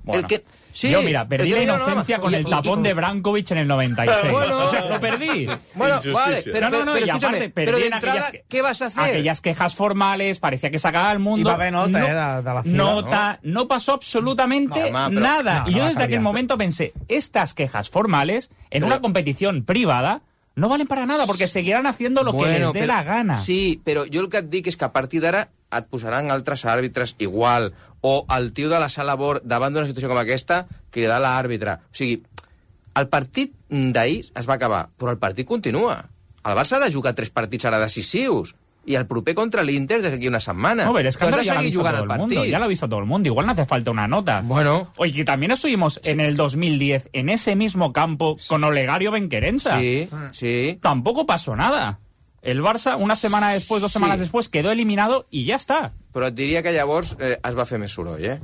Bueno, el que... Sí, yo, mira, perdí la inocencia no, con y, el tapón y, y, de Brankovic en el noventa y seis. Bueno, o sea, lo perdí. Bueno, vale, pero, no, no, no, pero y aparte, pero de perdí entrada, aquellas, ¿qué vas a hacer? Aquellas quejas formales, parecía que sacaba al mundo. Y va a haber nota, no, eh, de, de la fila, nota, no, no pasó absolutamente no, ma, pero, nada. No, y yo desde aquel momento pensé, estas quejas formales, en pero, una competición privada, no valen para nada, porque seguirán haciendo lo bueno, que les dé pero, la gana. Sí, però jo el que et dic és que a partir d'ara et posaran altres àrbitres igual, o el tio de la sala Bor davant d'una situació com aquesta cridar l'àrbitre. O sigui, el partit d'ahir es va acabar, però el partit continua. El Barça ha de jugar tres partits ara decisius, i el proper contra l'Inter des d'aquí una setmana. No, pero es que has de ya lo ha seguir visto jugant todo el el mundo, partit. ya lo ha visto todo el mundo. Igual no hace falta una nota. Bueno. Oye, que también estuvimos en el dos mil diez en ese mismo campo con Olegario Benquerensa. Sí, sí. Tampoco pasó nada. El Barça, una semana después, dos semanas sí. después, quedó eliminado y ya está. Però et diria que llavors eh, es va fer més soroll, eh?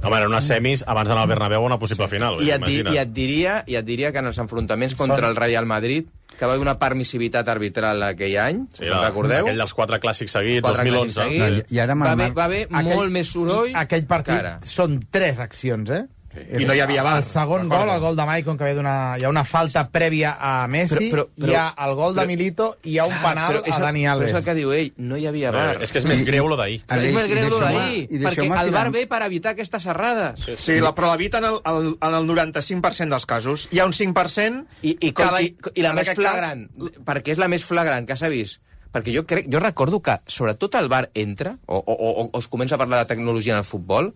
Home, en unes semis, abans d'anar al Bernabéu, una possible final. I et, di, i, et diria, I et diria que en els enfrontaments contra Són... el Real Madrid, que va haver una permissivitat arbitral aquell any, sí, us en recordeu? Aquell dels quatre clàssics seguits, quatre dos mil onze. Seguits, I ara va haver, va haver aquell, molt més soroll. Aquell partit cara. Són tres accions, eh? Sí. I no hi havia bar. El segon gol, el gol de Maicon, que ve d'una... Hi ha una falta prèvia a Messi, però, però, però, hi ha el gol de Milito i hi ha un penal a Dani Alves. Però és el que diu ell, no hi havia bar. Eh, és que és més greu lo d'ahir. És més greu lo d'ahir, perquè el bar ve per evitar aquestes errades. Sí, sí la, però l'evita en, el, el, en el noranta-cinc per cent dels casos. Hi ha un cinc per cent... I, i, com, la, i, i la més flagrant, cas... perquè és la més flagrant que s'ha vist. Perquè jo crec, jo recordo que, sobretot el bar entra, o, o, o, o es comença a parlar de tecnologia en el futbol,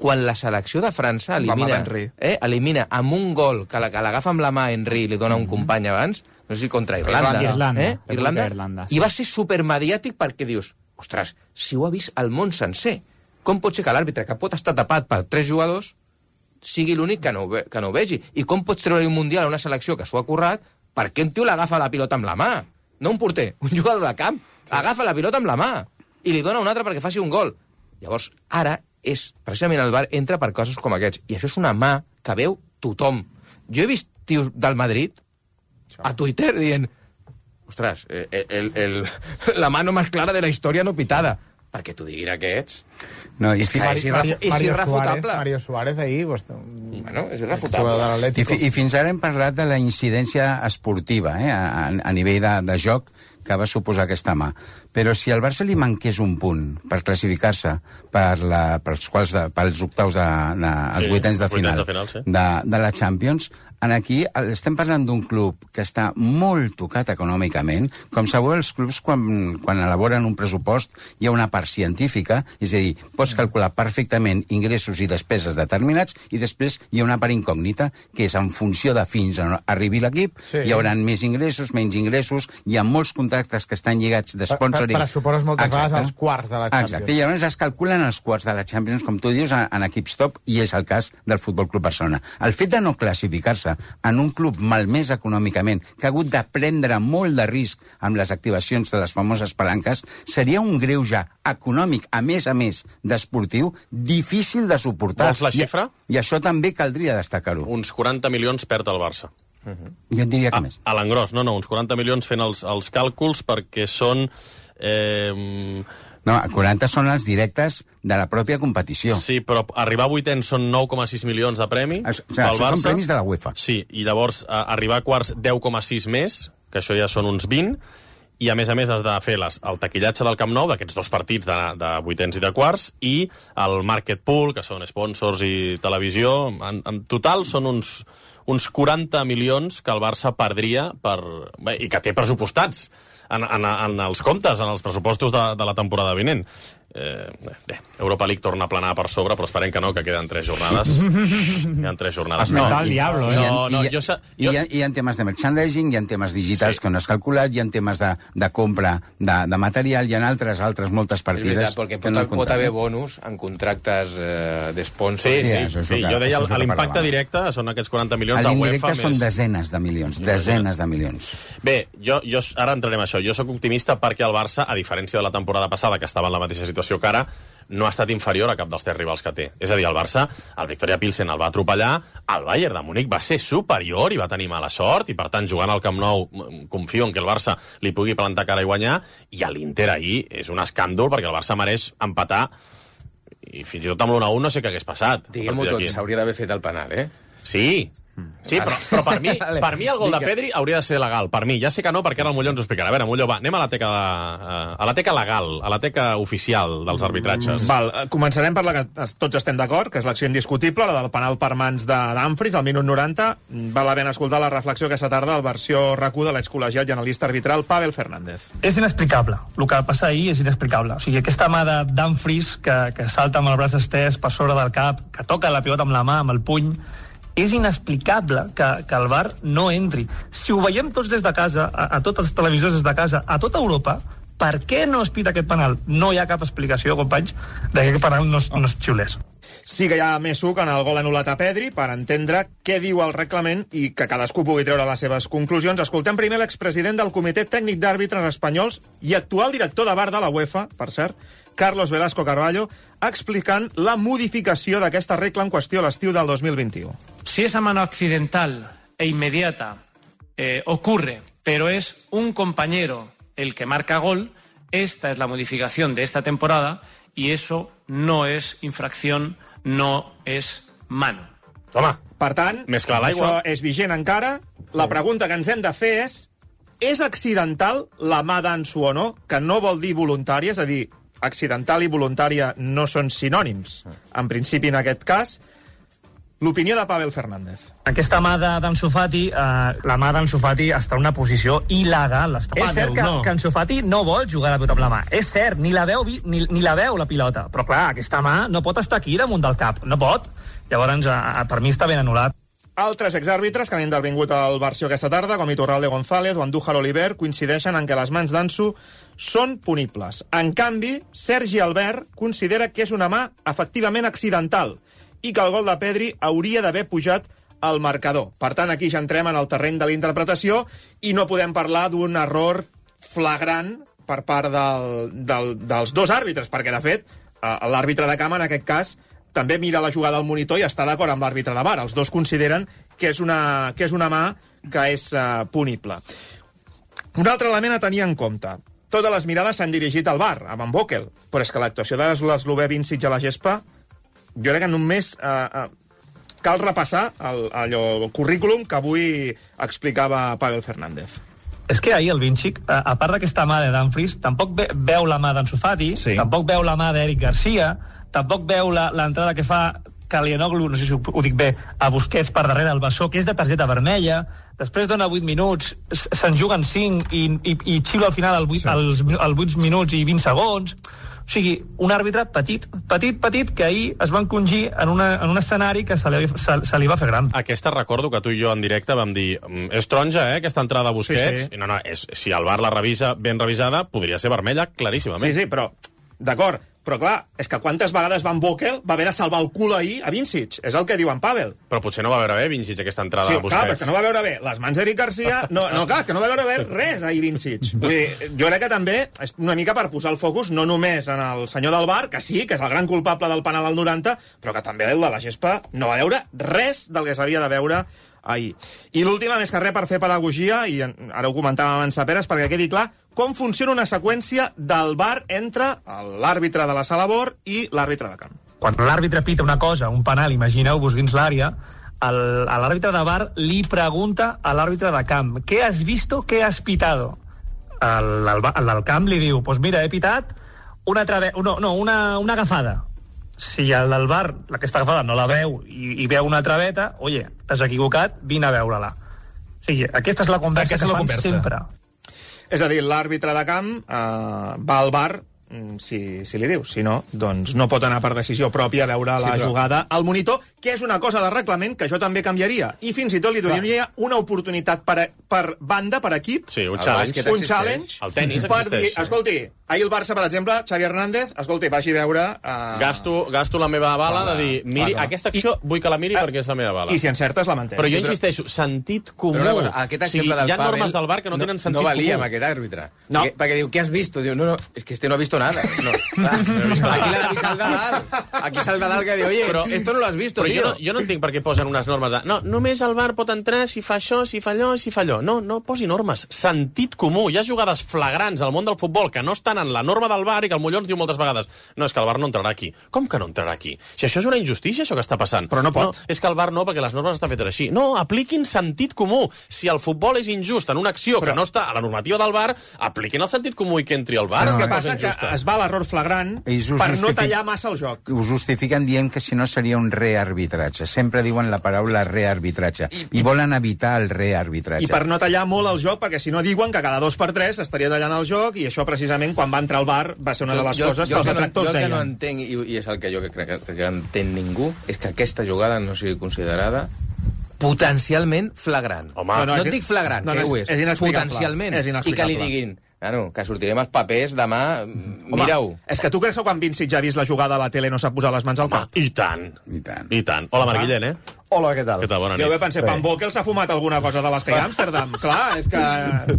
quan la selecció de França elimina, eh, elimina amb un gol que l'agafa amb la mà Henry i li dona un company abans, no sé si contra Irlanda, Irlanda, eh? Irlanda, Irlanda sí. I va ser supermediàtic perquè dius, ostres, si ho ha vist el món sencer, com pot ser que l'àrbitre, que pot estar tapat per tres jugadors, sigui l'únic que, no ve, que no ho vegi? I com pots treure un mundial a una selecció que s'ho ha currat perquè un tio l'agafa la pilota amb la mà? No un porter, un jugador de camp. Agafa la pilota amb la mà i li dona un altre perquè faci un gol. Llavors, ara, és precisament el bar entra per coses com aquests. I això és una mà que veu tothom. Jo he vist tios del Madrid a Twitter dient ostres, el, el, el, la mano més clara de la història no pitada. Perquè t'ho diguin aquests. No, i és que és, Mario, és Mario irrefutable. Suárez, Mario Suárez ahir... Pues, bueno, és irrefutable. I, I fins ara hem parlat de la incidència esportiva, eh, a, a nivell de, de joc que va suposar aquesta mà. Però si al Barça li manqués un punt per classificar-se per la, pels, quals de, pels octaus de, de, els sí, vuitens de final, de, final sí. de, de la Champions, en aquí estem parlant d'un club que està molt tocat econòmicament, com sabeu els clubs quan, quan elaboren un pressupost hi ha una part científica, és a dir, pots calcular perfectament ingressos i despeses determinats i després hi ha una part incògnita que és en funció de fins on arribi l'equip, sí. Hi haurà més ingressos, menys ingressos, hi ha molts contractes contractes que estan lligats de sponsoring... Per, per, pressupost moltes Exacte. vegades als quarts de la Champions. Exacte, i llavors es calculen els quarts de la Champions, com tu dius, en, en equips top, i és el cas del Futbol Club Barcelona. El fet de no classificar-se en un club malmès econòmicament, que ha hagut de prendre molt de risc amb les activacions de les famoses palanques, seria un greuge econòmic, a més a més d'esportiu, difícil de suportar. Vols la xifra? I, i això també caldria destacar-ho. Uns quaranta milions perd el Barça. Uh-huh. Jo et diria que a, més. A l'engròs, no, no, uns quaranta milions fent els, els càlculs perquè són... Eh... No, quaranta són els directes de la pròpia competició. Sí, però arribar a vuitens són nou coma sis milions de premi. O sigui, això són premis de la UEFA. Sí, i llavors a, arribar a quarts deu coma sis més, que això ja són uns vint, i a més a més has de fer les, el taquillatge del Camp Nou, d'aquests dos partits de, de vuitens i de quarts, i el market pool, que són sponsors i televisió. En, en total són uns, uns quaranta milions que el Barça perdria per, bé, i que té pressupostats en, en, en els comptes, en els pressupostos de, de la temporada vinent. Eh, bé, Europa League torna a planar per sobre, però esperem que no, que queden tres jornades. Queden tres jornades. No, el diablo, eh? No, no, I, jo, jo... I hi, ha, hi ha temes de merchandising, hi ha temes digitals sí. que no has calculat, hi ha temes de, de compra de, de material, hi ha altres, altres moltes partides... És veritat, perquè pot, no pot haver bonus en contractes eh, de sponsors. Sí, sí, sí, sí, sí. Jo deia l'impacte directe són aquests quaranta milions de UEFA. L'indirecte són més... desenes de milions, desenes de milions. Bé, jo, jo ara entrarem a això. Jo sóc optimista perquè el Barça, a diferència de la temporada passada, que estava en la mateixa situació que ara, no ha estat inferior a cap dels tres rivals que té. És a dir, el Barça, el Victoria Pilsen el va atropellar, el Bayern de Múnich va ser superior i va tenir mala sort, i per tant, jugant al Camp Nou, confio en que el Barça li pugui plantar cara i guanyar, i a l'Inter ahir és un escàndol, perquè el Barça mereix empatar, i fins i tot amb l'u a u no sé què hagués passat. Diguem-ho tot, s'hauria d'haver fet el penal, eh? Sí, sí, però, però per, mi, per mi el gol de Pedri hauria de ser legal. Per mi, ja sé que no, perquè ara el Molló ens ho explicarà. A veure, Molló, va, anem a la teca, de, a la teca legal, a la teca oficial dels arbitratges. Val, començarem per la que tots estem d'acord, que és l'acció indiscutible, la del penal per mans de Dumfries, al minut noranta. Val la pena escoltar la reflexió aquesta tarda al versió R A C U de l'excol·legiat i analista arbitral Pavel Fernández. És inexplicable. El que passa ahir és inexplicable. O sigui, aquesta mà de Dumfries que, que salta amb el braç estès per sobre del cap, que toca la pilota amb la mà, amb el puny, és inexplicable que, que el V A R no entri. Si ho veiem tots des de casa, a, a tots els televisors des de casa, a tota Europa, per què no es pita aquest penal? No hi ha cap explicació, companys, de que aquest penal no es, no es xiulés. Sí que hi ha més suc en el gol anul·lat a Pedri per entendre què diu el reglament i que cadascú pugui treure les seves conclusions. Escoltem primer l'expresident del Comitè Tècnic d'Àrbitres Espanyols i actual director de V A R de la UEFA, per cert, Carlos Velasco Carballo, explicant la modificació d'aquesta regla en qüestió a l'estiu del dos mil vint-i-u. Si esa mano accidental e inmediata eh, ocurre, pero es un compañero el que marca gol, esta es la modificación de esta temporada y eso no es infracción, no es mano. Toma. Per tant, més clar això l'aigua. és vigent encara. La pregunta que ens hem de fer és: és accidental la mà d'Ansu o no? Que no vol dir voluntària, és a dir, accidental i voluntària no són sinònims. En principi, en aquest cas, l'opinió de Pavel Fernández. Aquesta mà d'Ansu Fati, eh, la mà d'Ansu Fati està en una posició il·legal. Està... És cert que, no. que Ansu Fati no vol jugar a la pilota amb la mà. És cert, ni la veu, ni, ni la veu la pilota. Però clar, aquesta mà no pot estar aquí damunt del cap. No pot. Llavors, eh, per mi està ben anul·lat. Altres exàrbitres que han intervingut al versió aquesta tarda, com Iturralde González o Andújar Oliver, coincideixen en que les mans d'Ansu són punibles. En canvi, Sergi Albert considera que és una mà efectivament accidental i que el gol de Pedri hauria d'haver pujat al marcador. Per tant, aquí ja entrem en el terreny de la interpretació i no podem parlar d'un error flagrant per part del, del, dels dos àrbitres, perquè, de fet, l'àrbitre de camp, en aquest cas, també mira la jugada al monitor i està d'acord amb l'àrbitre de V A R. Els dos consideren que és una, que és una mà que és uh, punible. Un altre element a tenir en compte. Totes les mirades s'han dirigit al V A R, a Van Bokel, però és que l'actuació de l'eslovè Vincic a la gespa, jo crec que només uh, uh, cal repassar el, allò, el currículum que avui explicava Pavel Fernández. És que ahir el Vincic, a, a part d'aquesta mà de Dumfries, tampoc ve, veu la mà d'Ansu Fati, sí. Tampoc veu la mà d'Eric Garcia, tampoc veu l'entrada que fa Calhanoglu, no sé si ho dic bé, a Busquets per darrere el bessó, que és de targeta vermella, després dona vuit minuts, se'n juguen cinc i, i, i xiula al final el vuit, sí. els, els vuit minuts i vint segons. O sigui, un àrbitre petit, petit, petit, que ahir es va encongir en, una, en un escenari que se li, se, se li va fer gran. Aquesta recordo que tu i jo en directe vam dir és taronja, eh, aquesta entrada a Busquets. Sí, sí. I no, no, és, si el V A R la revisa ben revisada, podria ser vermella claríssimament. Sí, sí, però, d'acord, però clar, és que quantes vegades Van Boekel va haver de salvar el cul ahir a Vincic, és el que diu en Pavel. Però potser no va veure bé Vincic aquesta entrada sí, a Busquets. Clar, que no va veure bé les mans d'Eric Garcia, no, no, clar, que no va veure bé res ahir Vincic. Vull dir, jo crec que també és una mica per posar el focus no només en el senyor del V A R, que sí, que és el gran culpable del penal al noranta, però que també el de la gespa no va veure res del que s'havia de veure ahir. I l'última, més que res, per fer pedagogia, i ara ho comentàvem abans a Peres, perquè quedi clar com funciona una seqüència del V A R entre l'àrbitre de la sala B O R i l'àrbitre de camp. Quan l'àrbitre pita una cosa, un penal, imagineu-vos dins l'àrea, l'àrbitre de V A R li pregunta a l'àrbitre de camp «¿Qué has visto? ¿Qué has pitado?» El, el, el del camp li diu «Pues mira, he pitat una, trave... no, no, una, una agafada». Si el del V A R, aquesta agafada, no la veu i, i veu una traveta, oye, t'has equivocat, vine a veure-la. O sigui, aquesta és la conversa aquesta que fan conversa. sempre. És a dir, l'àrbitre de camp eh, va al V A R si, si li diu. Si no, doncs no pot anar per decisió pròpia a veure sí, la però... jugada al monitor, que és una cosa de reglament que jo també canviaria. I fins i tot li donaria una oportunitat per, per banda, per equip. Sí, un challenge. Un challenge. El tenis per existeix. dir, escolti, ahir el Barça, per exemple, Xavi Hernández, escolti, vagi a veure... Uh... Gasto, gasto la meva bala de dir, miri, clar, aquesta acció I, vull que la miri uh, perquè és la meva bala. I si encertes, la mantens. Però jo insisteixo, sentit comú. Però, però, aquest exemple o sigui, del hi ha Pavel normes del V A R que no, no tenen sentit no valia comú. amb aquest àrbitre. No. Perquè, perquè diu, què has visto? Diu, no, no, és que este no ha visto nada. No, clar, aquí l'ha vist el de dalt. Aquí és el de dalt que diu, oye, però, esto no lo has visto, però tío. Jo no, jo no entenc per què posen unes normes de... No, només el V A R pot entrar si fa això, si fa allò, si fa allò. No, no posi normes. Sentit comú. Hi ha jugades flagrants al món del futbol que no estan en la norma del V A R i que el Molló ens diu moltes vegades no, és que el V A R no entrarà aquí. Com que no entrarà aquí? Si això és una injustícia, això que està passant. Però no pot. No, és que el V A R no, perquè les normes estan fetes així. No, apliquin sentit comú. Si el futbol és injust en una acció però... que no està a la normativa del V A R, apliquin el sentit comú i que entri el V A R. Saps què passa? Que es va a l'error flagrant per justific... no tallar massa el joc. Ho justifiquen dient que si no seria un rearbitratge. Sempre diuen la paraula rearbitratge. I, I volen evitar el rearbitratge. I per no tallar molt el joc, perquè si no diuen que cada dos per tres estaria tallant el joc, i això precisament quan va entrar al V A R va ser una jo, de les jo, coses jo que els que no, detractors jo deien. Jo que no entenc, i, i és el que jo crec que, que no entén ningú, és que aquesta jugada no sigui considerada potencialment flagrant. Home, no, no, no és et dic flagrant, no, no, que ho és, és, és potencialment. És I que li diguin, bueno, que sortirem els papers demà, mira-ho. És que tu creus que quan Vincic ja ha vist la jugada a la tele no s'ha posat les mans al cap? I tant. I tant. I tant. Hola, Marc Guillén, eh? Hola, què tal? Què tal? Bona nit. Jo bé pensé, Van Boekel s'ha fumat alguna cosa de les que hi ha a Amsterdam. Clar, és que...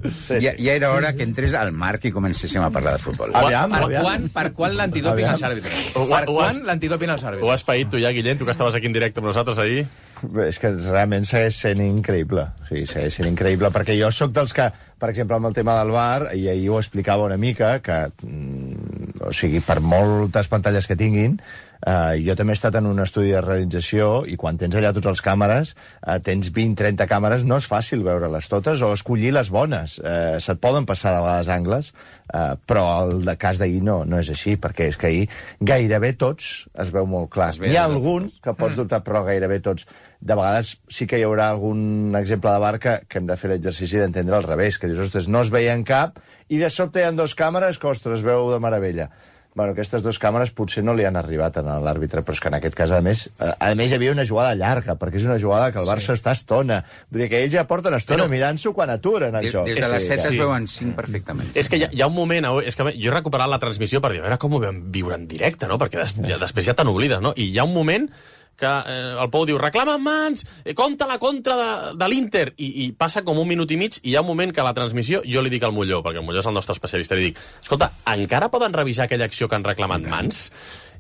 Sí, ja, ja era hora que entrés al Marc i comencéssim a parlar de futbol. Aviam, per, aviam. Quan, per quan l'antidoping als àrbitres? Per quan l'antidoping als àrbitres? Ho has paït tu ja, Guillén, tu que estaves aquí en directe amb nosaltres ahir? Bé, és que realment segueix sent increïble. O sigui, segueix sent increïble, perquè jo sóc dels que, per exemple, amb el tema del V A R, i ahir ho explicava una mica, que, mm, o sigui, per moltes pantalles que tinguin, Uh, jo també he estat en un estudi de realització i quan tens allà tots els càmeres, uh, tens vint trenta càmeres, no és fàcil veure-les totes o escollir les bones. Uh, se't poden passar de vegades angles, uh, però el de cas d'ahir no, no és així, perquè és que ahir gairebé tots es veu molt clar. Hi ha algun que pots dubtar, però gairebé tots. De vegades sí que hi haurà algun exemple de V A R que, que hem de fer l'exercici d'entendre al revés, que dius, ostres, no es veien cap, i de sobte hi ha dues càmeres que, ostres, es veu de meravella. Bueno, aquestes dues càmeres potser no li han arribat a l'àrbitre, però és que en aquest cas, a més, a més hi havia una jugada llarga, perquè és una jugada que el Barça sí. està estona. Vull dir que ells ja porten estona però... mirant-s'ho quan aturen el des, joc. Des de les set sí. es veuen cinc perfectament. És que hi ha, hi ha un moment, és que jo he recuperat la transmissió per dir, a veure com ho vam viure en directe, no? Perquè des, ja, després ja te n'oblides, no? I hi ha un moment que eh, el Pou diu, reclama mans, eh, compta la contra de, de l'Inter, I, i passa com un minut i mig, i hi ha un moment que a la transmissió jo li dic al Molló, perquè el Molló és el nostre especialista, li dic, escolta, encara poden revisar aquella acció que han reclamat mans?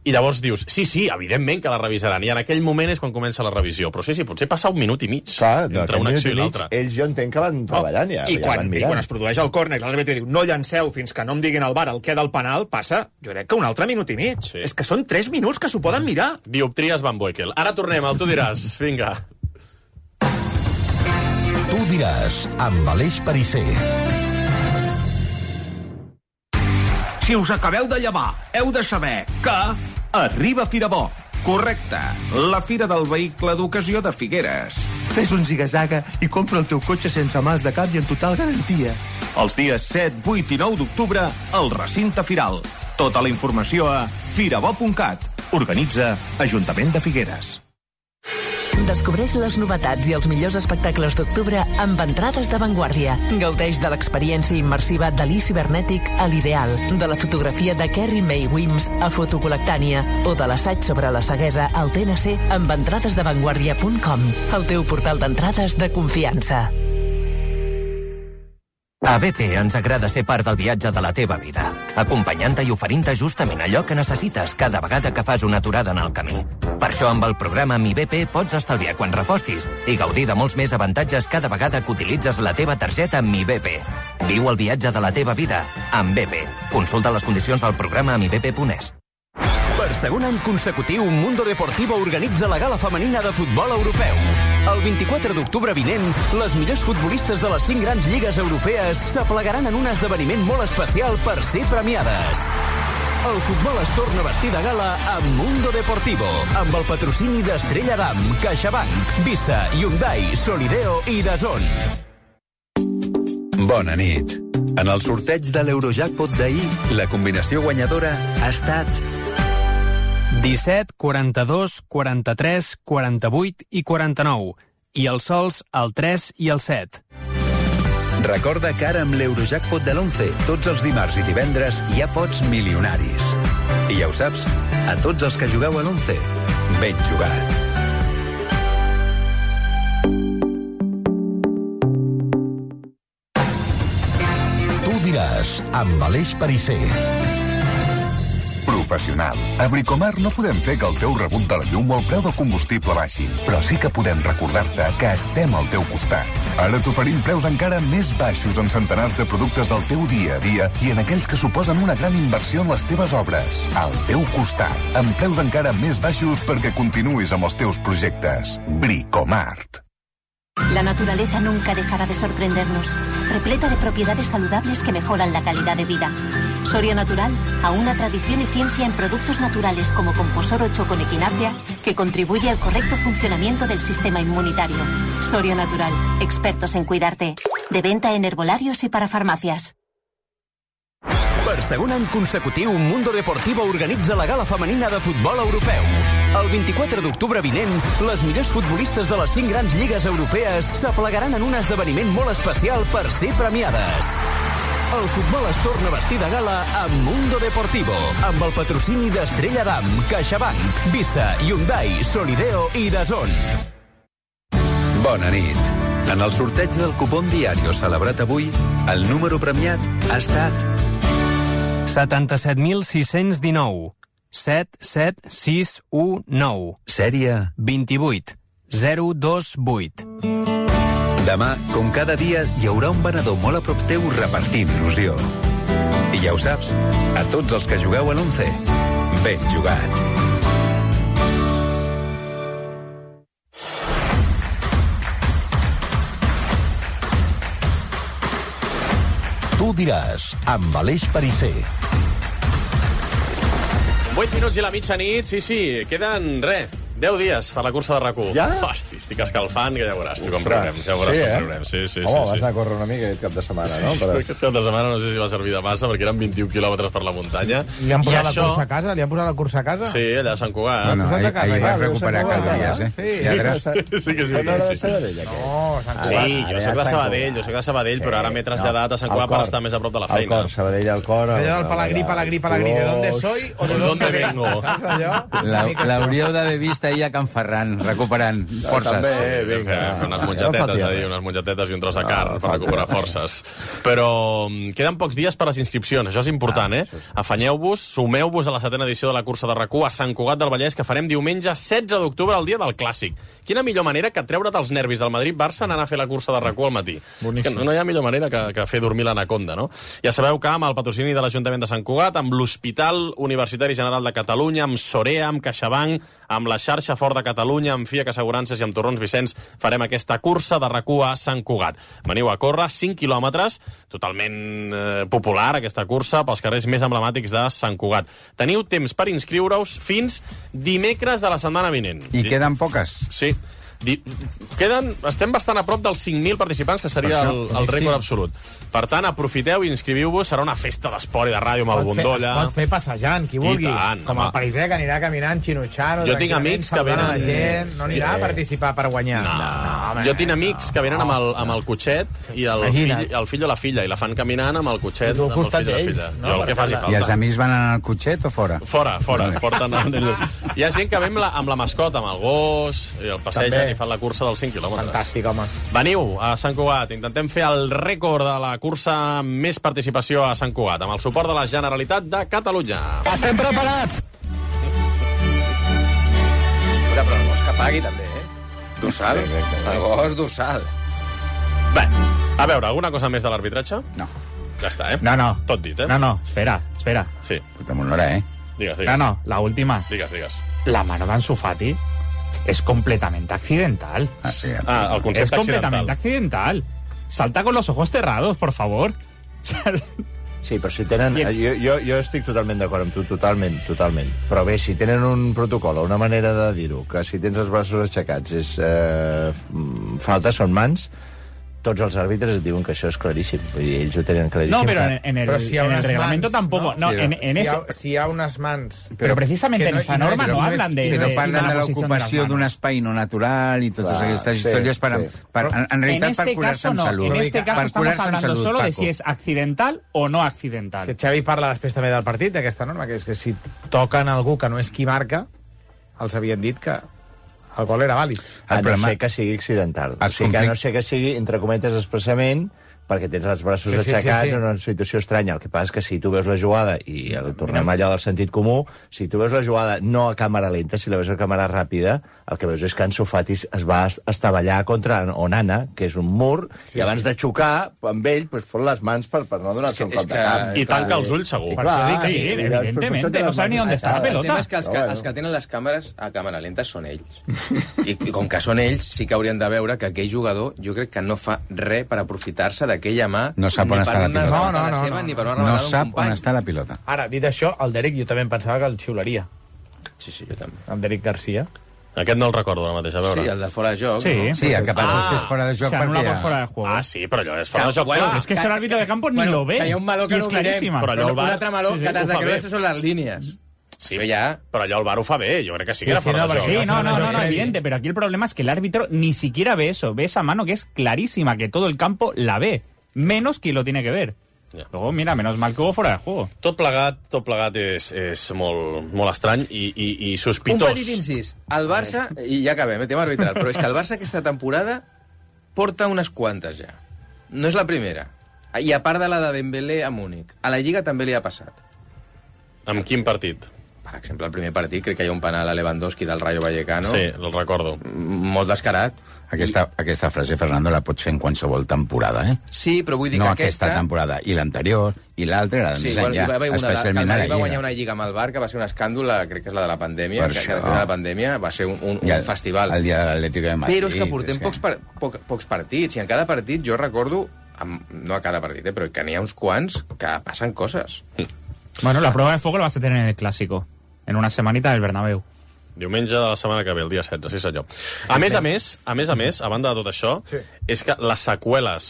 I llavors dius, sí, sí, evidentment que la revisaran, i en aquell moment és quan comença la revisió, però sí, sí, potser passa un minut i mig Clar, entre una acció i l'altra. Ells jo entenc que van treballant ja. I, ja quan, van I quan es produeix el córner, l'àrbitre diu, no llanceu fins que no em diguin al V A R el què del penal, passa, jo crec que un altre minut i mig. Sí. És que són tres minuts que s'ho poden mirar. Dioptries Van Boekel. Ara tornem al Tu diràs. Vinga. Tu diràs, amb Aleix Perisser. Si us acabeu de llevar, heu de saber que arriba Firabó. Correcte. La Fira del Vehicle d'Ocasió de Figueres. Fes un ziga-zaga i compra el teu cotxe sense mals de cap i en total garantia. Els dies set, vuit i nou d'octubre, al recinte Firal. Tota la informació a firabo punt cat. Organitza Ajuntament de Figueres. Descobreix les novetats i els millors espectacles d'octubre amb entrades d'avantguàrdia. Gaudeix de l'experiència immersiva de l'I Cibernètic a l'Ideal, de la fotografia de Kerry May Wims a Fotocolectània o de l'assaig sobre la ceguesa al T N C amb entrades d'avantguàrdia punt com, el teu portal d'entrades de confiança. A B P ens agrada ser part del viatge de la teva vida, acompanyant-te i oferint-te justament allò que necessites cada vegada que fas una aturada en el camí. Per això, amb el programa Mi B P pots estalviar quan repostis i gaudir de molts més avantatges cada vegada que utilitzes la teva targeta Mi B P. Viu el viatge de la teva vida amb B P. Consulta les condicions del programa a mi b p punt es. Per segon any consecutiu, Mundo Deportivo organitza la gala femenina de futbol europeu. El vint-i-quatre d'octubre vinent, les millors futbolistes de les cinc grans lligues europees s'aplegaran en un esdeveniment molt especial per ser premiades. El futbol es torna a vestir de gala amb Mundo Deportivo, amb el patrocini d'Estrella Damm, CaixaBank, Visa, Hyundai, Solideo i DAZN. Bona nit. En el sorteig de l'Eurojackpot d'ahir, la combinació guanyadora ha estat disset, quaranta-dos, quaranta-tres, quaranta-vuit i quaranta-nou. I els sols, el tres i el set. Recorda que ara amb l'Eurojackpot de l'onze, tots els dimarts i divendres hi ha pots milionaris. I ja ho saps, a tots els que jugueu a l'onze, ben jugat. Tu diràs, amb Aleix Perisser. Professional. A Bricomar no podem fer que el teu rebut de la llum o el preu del combustible baixin, però sí que podem recordar-te que estem al teu costat. Ara t'oferim preus encara més baixos en centenars de productes del teu dia a dia i en aquells que suposen una gran inversió en les teves obres. Al teu costat, amb preus encara més baixos perquè continuïs amb els teus projectes. Bricomart. La naturaleza nunca dejará de sorprendernos, repleta de propiedades saludables que mejoran la calidad de vida. Soria Natural, a una tradición y ciencia en productos naturales como Composor ocho con Equinacea, que contribuye al correcto funcionamiento del sistema inmunitario. Soria Natural, expertos en cuidarte. De venta en herbolarios y para farmacias. Per segon any consecutiu, Mundo Deportivo organitza la gala femenina de futbol europeu. El vint-i-quatre d'octubre vinent, les millors futbolistes de les cinc grans lligues europees s'aplegaran en un esdeveniment molt especial per ser premiades. El futbol es torna a vestir de gala amb Mundo Deportivo, amb el patrocini d'Estrella Damm, CaixaBank, Visa, Hyundai, Solideo i DAZN. Bona nit. En el sorteig del cupón diario celebrat avui, el número premiat ha estat setanta-set mil sis-cents dinou. set set sis u nou. Sèrie vint-i-vuit zero dos vuit. Demà, com cada dia, hi haurà un venedor molt a prop teu repartint il·lusió. I ja ho saps, a tots els que jugueu a l'onze, ben jugat. Tu diràs, amb Aleix Perisser. vuit minuts i la mitjanit, sí, sí, queden, res, deu dies per la cursa de RAC u. Ja? Hosti, estic escalfant, que ja veuràs, tu com Ostres, riurem, ja veuràs sí, com eh? riurem. Sí, sí, Home, sí, vas sí. anar a córrer una mica aquest cap de setmana, no? Però... Aquest cap de setmana no sé si va servir de massa, perquè eren vint-i-un quilòmetres per la muntanya. Li han posat I la això... cursa a casa? Li han posat la cursa a casa? Sí, allà a Sant Cugat. No, no, Posat a ahir, casa, ahir ja, vas recuperar Déu-se-n'hi calories, eh? Sí. Lladre. Sí que sí. No era de sí. Sabadell, aquí. No, Sant Sí, Cugat. jo soc de Sabadell, jo soc de Sabadell, però ara m'he traslladat a Sant Cugat per estar més a prop de la feina. Al cor, Sabadell al cor. Allò del palagrí, palagrí, palagrí, ¿de dónde soy o de dónde vengo? Saps allò? La- L'hauríeu d'haver vist ahir a Can Ferran, recuperant forces. També, Sí, vinga. fer unes mongetetes, Ja a fa dir, tierra. unes mongetetes i un tros de Ah, carn per fa recuperar tierra. forces. Però mm, queden pocs dies per a les inscripcions, això és important, eh? Afanyeu-vos, sumeu-vos a la setena edició de la cursa de RAC u a Sant Cugat del Vallès, que farem diumenge setze d'octubre, el dia del Clàssic. Quina millor manera que treure't els nervis del Madrid-Barça anar a fer la cursa de R A C U al matí. És que no, no hi ha millor manera que, que fer dormir l'anaconda, no? Ja sabeu que amb el patrocini de l'Ajuntament de Sant Cugat, amb l'Hospital Universitari General de Catalunya, amb Sorea, amb CaixaBank, amb la xarxa Ford de Catalunya, amb Fiac Assegurances i amb Torrons Vicenç, farem aquesta cursa de R A C U a Sant Cugat. Veniu a córrer cinc quilòmetres, totalment eh, popular, aquesta cursa, pels carrers més emblemàtics de Sant Cugat. Teniu temps per inscriure-us fins dimecres de la setmana vinent. I queden poques. Sí. Di... Queden... Estem bastant a prop dels cinc mil participants, que seria el, el rècord absolut. Per tant, aprofiteu i inscriviu-vos. Serà una festa d'esport i de ràdio amb el Bondolla. Es pot fer passejant, qui vulgui. Tant, com el parisè, que anirà caminant xinutxant. Jo tinc amics que venen... La gent. No anirà a participar per guanyar. No. no home, jo tinc amics no. que venen amb el, amb el cotxet i el fill, el fill o la filla, i la fan caminant amb el cotxet, amb el fill o la filla. No? Jo el que faci falta. I els amics van anar al cotxet o fora? Fora, fora. Porten el... Hi ha gent que ve amb la, amb la mascota, amb el gos, i el passegen i fan la cursa dels cinc quilòmetres. Fantàstic, home. Veniu a Sant Cugat, intentem fer el rècord de la cursa amb més participació a Sant Cugat, amb el suport de la Generalitat de Catalunya. Estem preparats! Però el gos que pagui, també, eh? Dorsal. El gos dorsal. Bé, a veure, alguna cosa més de l'arbitratge? No. Ja està, eh? No, no. Tot dit, eh? No, no, espera, espera. Sí. Puta molt hora, eh? Digues, digues. No, no, la última. Digues, digues. La mano de Ansu Fati es completamente accidental. Ah, sí, ah, el concepte es completamente accidental. Salta con los ojos cerrados, por favor. Sí, però si tenen... Jo, jo, jo estic totalment d'acord amb tu, totalment, totalment. Però bé, si tenen un protocol o una manera de dir-ho, que si tens els braços aixecats és eh, falta, són mans, tots els àrbitres et diuen que això és claríssim. Vull dir, ells ho tenen claríssim. No, pero en, en el, si en el reglamento mans, tampoco. No, no sí, en, en si, ese... ha, si hi ha unes mans... Pero, pero precisamente en no, esa norma no, no hablan de... Però de, parlen de, de l'ocupació d'un espai no natural i totes Clar, aquestes sí, històries per, sí. per, en, en realitat en este per curar-se caso en no. salut. En este caso per estamos hablando salut, solo de Paco. si es accidental o no accidental. Que Xavi parla després també del partit, d'aquesta norma, que és que si toquen algú que no és qui marca, els havien dit que el gol era vàlid. A no ser que sigui accidental. O sigui, que a no ser que sigui, entre cometes, expressament, perquè tens els braços sí, sí, aixecats sí, sí. en una situació estranya. El que passa és que si tu veus la jugada, i el tornem allò del sentit comú, si tu veus la jugada no a càmera lenta, si la veus a càmera ràpida, el que veus és que Ansu Fati es va estavellar contra Onana, que és un mur, sí, i abans sí. de xocar amb ell, pues, fot les mans per, per no donar-se un cop de cap. I tanca els ulls, segur. Per això dic, sí, evidentment, no sabe ni on està la pelota. El tema és que els que, els que tenen les càmeres a càmera lenta són ells. I, I com que són ells, sí que haurien de veure que aquell jugador, jo crec que no fa res per aprofitar-se d'aquella mà. No sap on està la pilota. No, no, no, seva, no. Ni per una no sap sap on està la pilota. Ara, dit això, el Derek jo també em pensava que el xiularia. Sí, sí, jo també. El Derek Garcia. Aquest no el recordo ara mateix, a veure. Sí, el de fora de joc. Sí, no? sí el que passa ah, és que és fora de joc se perquè... por fuera de juego. Ah, sí, però allò és fora de joc. Bueno, clar. es que, que el árbitro de campo bueno, ni lo ve. Que hi ha un meló que no és claríssima. Però allò un altre meló sí, sí, que t'has de creure bé. que són les línies. Sí, ja. Però allò el V A R ho fa bé, jo crec que sí que sí, era fora sí, no, de joc. Sí, no, no, no, no, evidente, pero aquí el problema es que el árbitro ni siquiera ve eso, ve esa mano que es clarísima, que todo el campo la ve, menos quien lo tiene que ver. Ja. Luego, mira, menos mal que hubo fuera de juego. Tot plegat, tot plegat és, és molt, molt estrany i, i, i sospitós. Un petit incís. El Barça, i ja acabem, tema arbitral, però és que el Barça aquesta temporada porta unes quantes ja. No és la primera. I a part de la de Dembélé a Múnich. A la Lliga també li ha passat. Amb quin partit? Per exemple, el primer partit crec que hi ha un penal a Lewandowski del Rayo Vallecano. Sí, el recordo. Molt descarat. Aquesta, I... aquesta frase, Fernando, la pots fer en qualsevol temporada, eh? Sí, però vull dir no que aquesta... No aquesta temporada, i l'anterior, i l'altra era de sí, més bueno, enllà, va haver una, especialment que a la Lliga. Va guanyar Lliga. una Lliga amb el Barça, que va ser un escàndol, crec que és la de la pandèmia, Per que, això. que de la pandèmia va ser un, un, el, un festival. El dia de l'Atlético de Madrid. Però és que portem és pocs, par, poc, pocs partits, i en cada partit jo recordo, amb, no a cada partit, eh, però que n'hi ha uns quants que passen coses. Bueno, la prueba de fuego la vas a tener en el Clásico. En una semanita del Bernabéu. Diumenge de la setmana que ve, el dia setze, sí senyor. A més a més, a més a més, a banda de tot això, sí. és que les seqüeles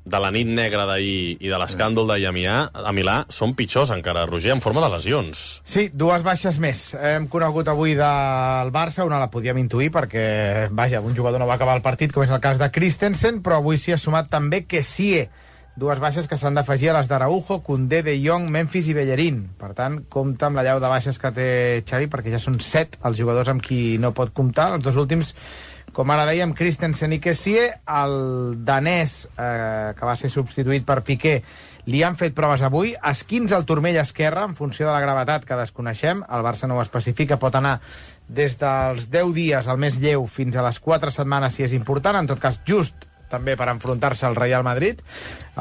de la nit negra d'ahir i de l'escàndol d'ahir a, Milà, a Milà són pitjors encara, Roger, en forma de lesions. Sí, dues baixes més. Hem conegut avui del Barça, una la podíem intuir perquè, vaja, un jugador no va acabar el partit, com és el cas de Christensen, però avui s'hi ha sumat també Kessie. Dues baixes que s'han d'afegir a les d'Araujo, Koundé, De Jong, Memphis i Bellerín. Per tant, compta amb la llau de baixes que té Xavi, perquè ja són set els jugadors amb qui no pot comptar. Els dos últims, com ara dèiem, Christensen i Kessie. El danès, eh, que va ser substituït per Piqué, li han fet proves avui. Esquins al turmell esquerre, en funció de la gravetat que desconeixem. El Barça no ho especifica, pot anar des dels deu dies al més lleu fins a les quatre setmanes, si és important. En tot cas, just també per enfrontar-se al Real Madrid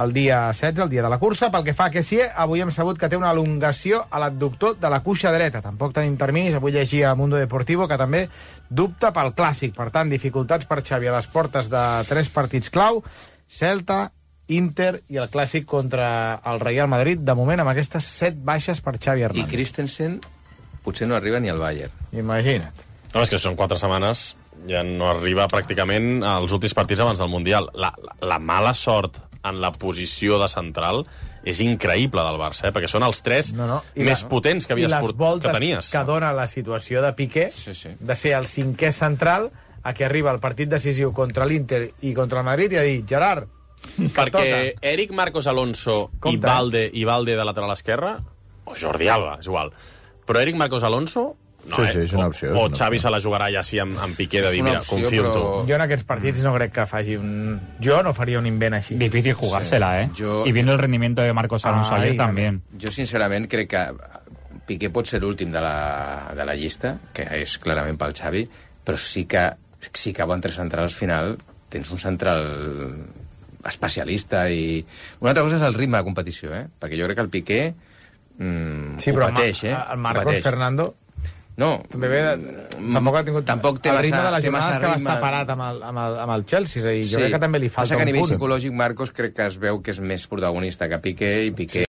el dia setze, el dia de la cursa. Pel que fa a Kessié, avui hem sabut que té una elongació a l'abductor de la cuixa dreta. Tampoc tenim terminis, avui llegia a Mundo Deportivo que també dubta pel Clàssic. Per tant, dificultats per Xavi a les portes de tres partits clau, Celta, Inter i el Clàssic contra el Real Madrid, de moment amb aquestes set baixes per Xavi Hernández. I Christensen potser no arriba ni al Bayern. Imagina't. No, és que són quatre setmanes, ja no arriba pràcticament als últims partits abans del Mundial. La, la, la mala sort en la posició de central és increïble del Barça, eh? Perquè són els tres no, no. més la, potents que havies port... que tenies. Que dona la situació de Piqué, sí, sí. de ser el cinquè central, a que arriba el partit decisiu contra l'Inter i contra el Madrid i ha dit, Gerard, perquè Eric Marcos Alonso i Valde, i Valde de lateral esquerra, o Jordi Alba, és igual, però Eric Marcos Alonso no, sí, sí, és una opció, o, o és una Xavi opció. se la jugarà ja així amb, amb Piqué de dir, mira, opció, confio però... en tu. Jo en aquests partits no crec que faci un... Jo no faria un invent així. Difícil jugársela, sí. ¿eh? Yo... Y viendo el rendimiento de Marcos Alonso ah, ayer también. Jo, sincerament, crec que Piqué pot ser l'últim de, la, de la llista, que és clarament pel Xavi, però sí que si cauen tres centrals al final, tens un central especialista i... Una altra cosa és el ritme de competició, eh? Perquè jo crec que el Piqué mm, sí, ho pateix, eh? El Marcos pateix. Fernando... No. També ve de... Tampoc ha tingut... Tampoc té el ritme massa, de les jornades que va ritme... estar parat amb el, amb el, amb el Chelsea, és a dir, jo sí. crec que també li falta Passa que un a nivell punt. psicològic Marcos crec que es veu que és més protagonista que Piqué, i Piqué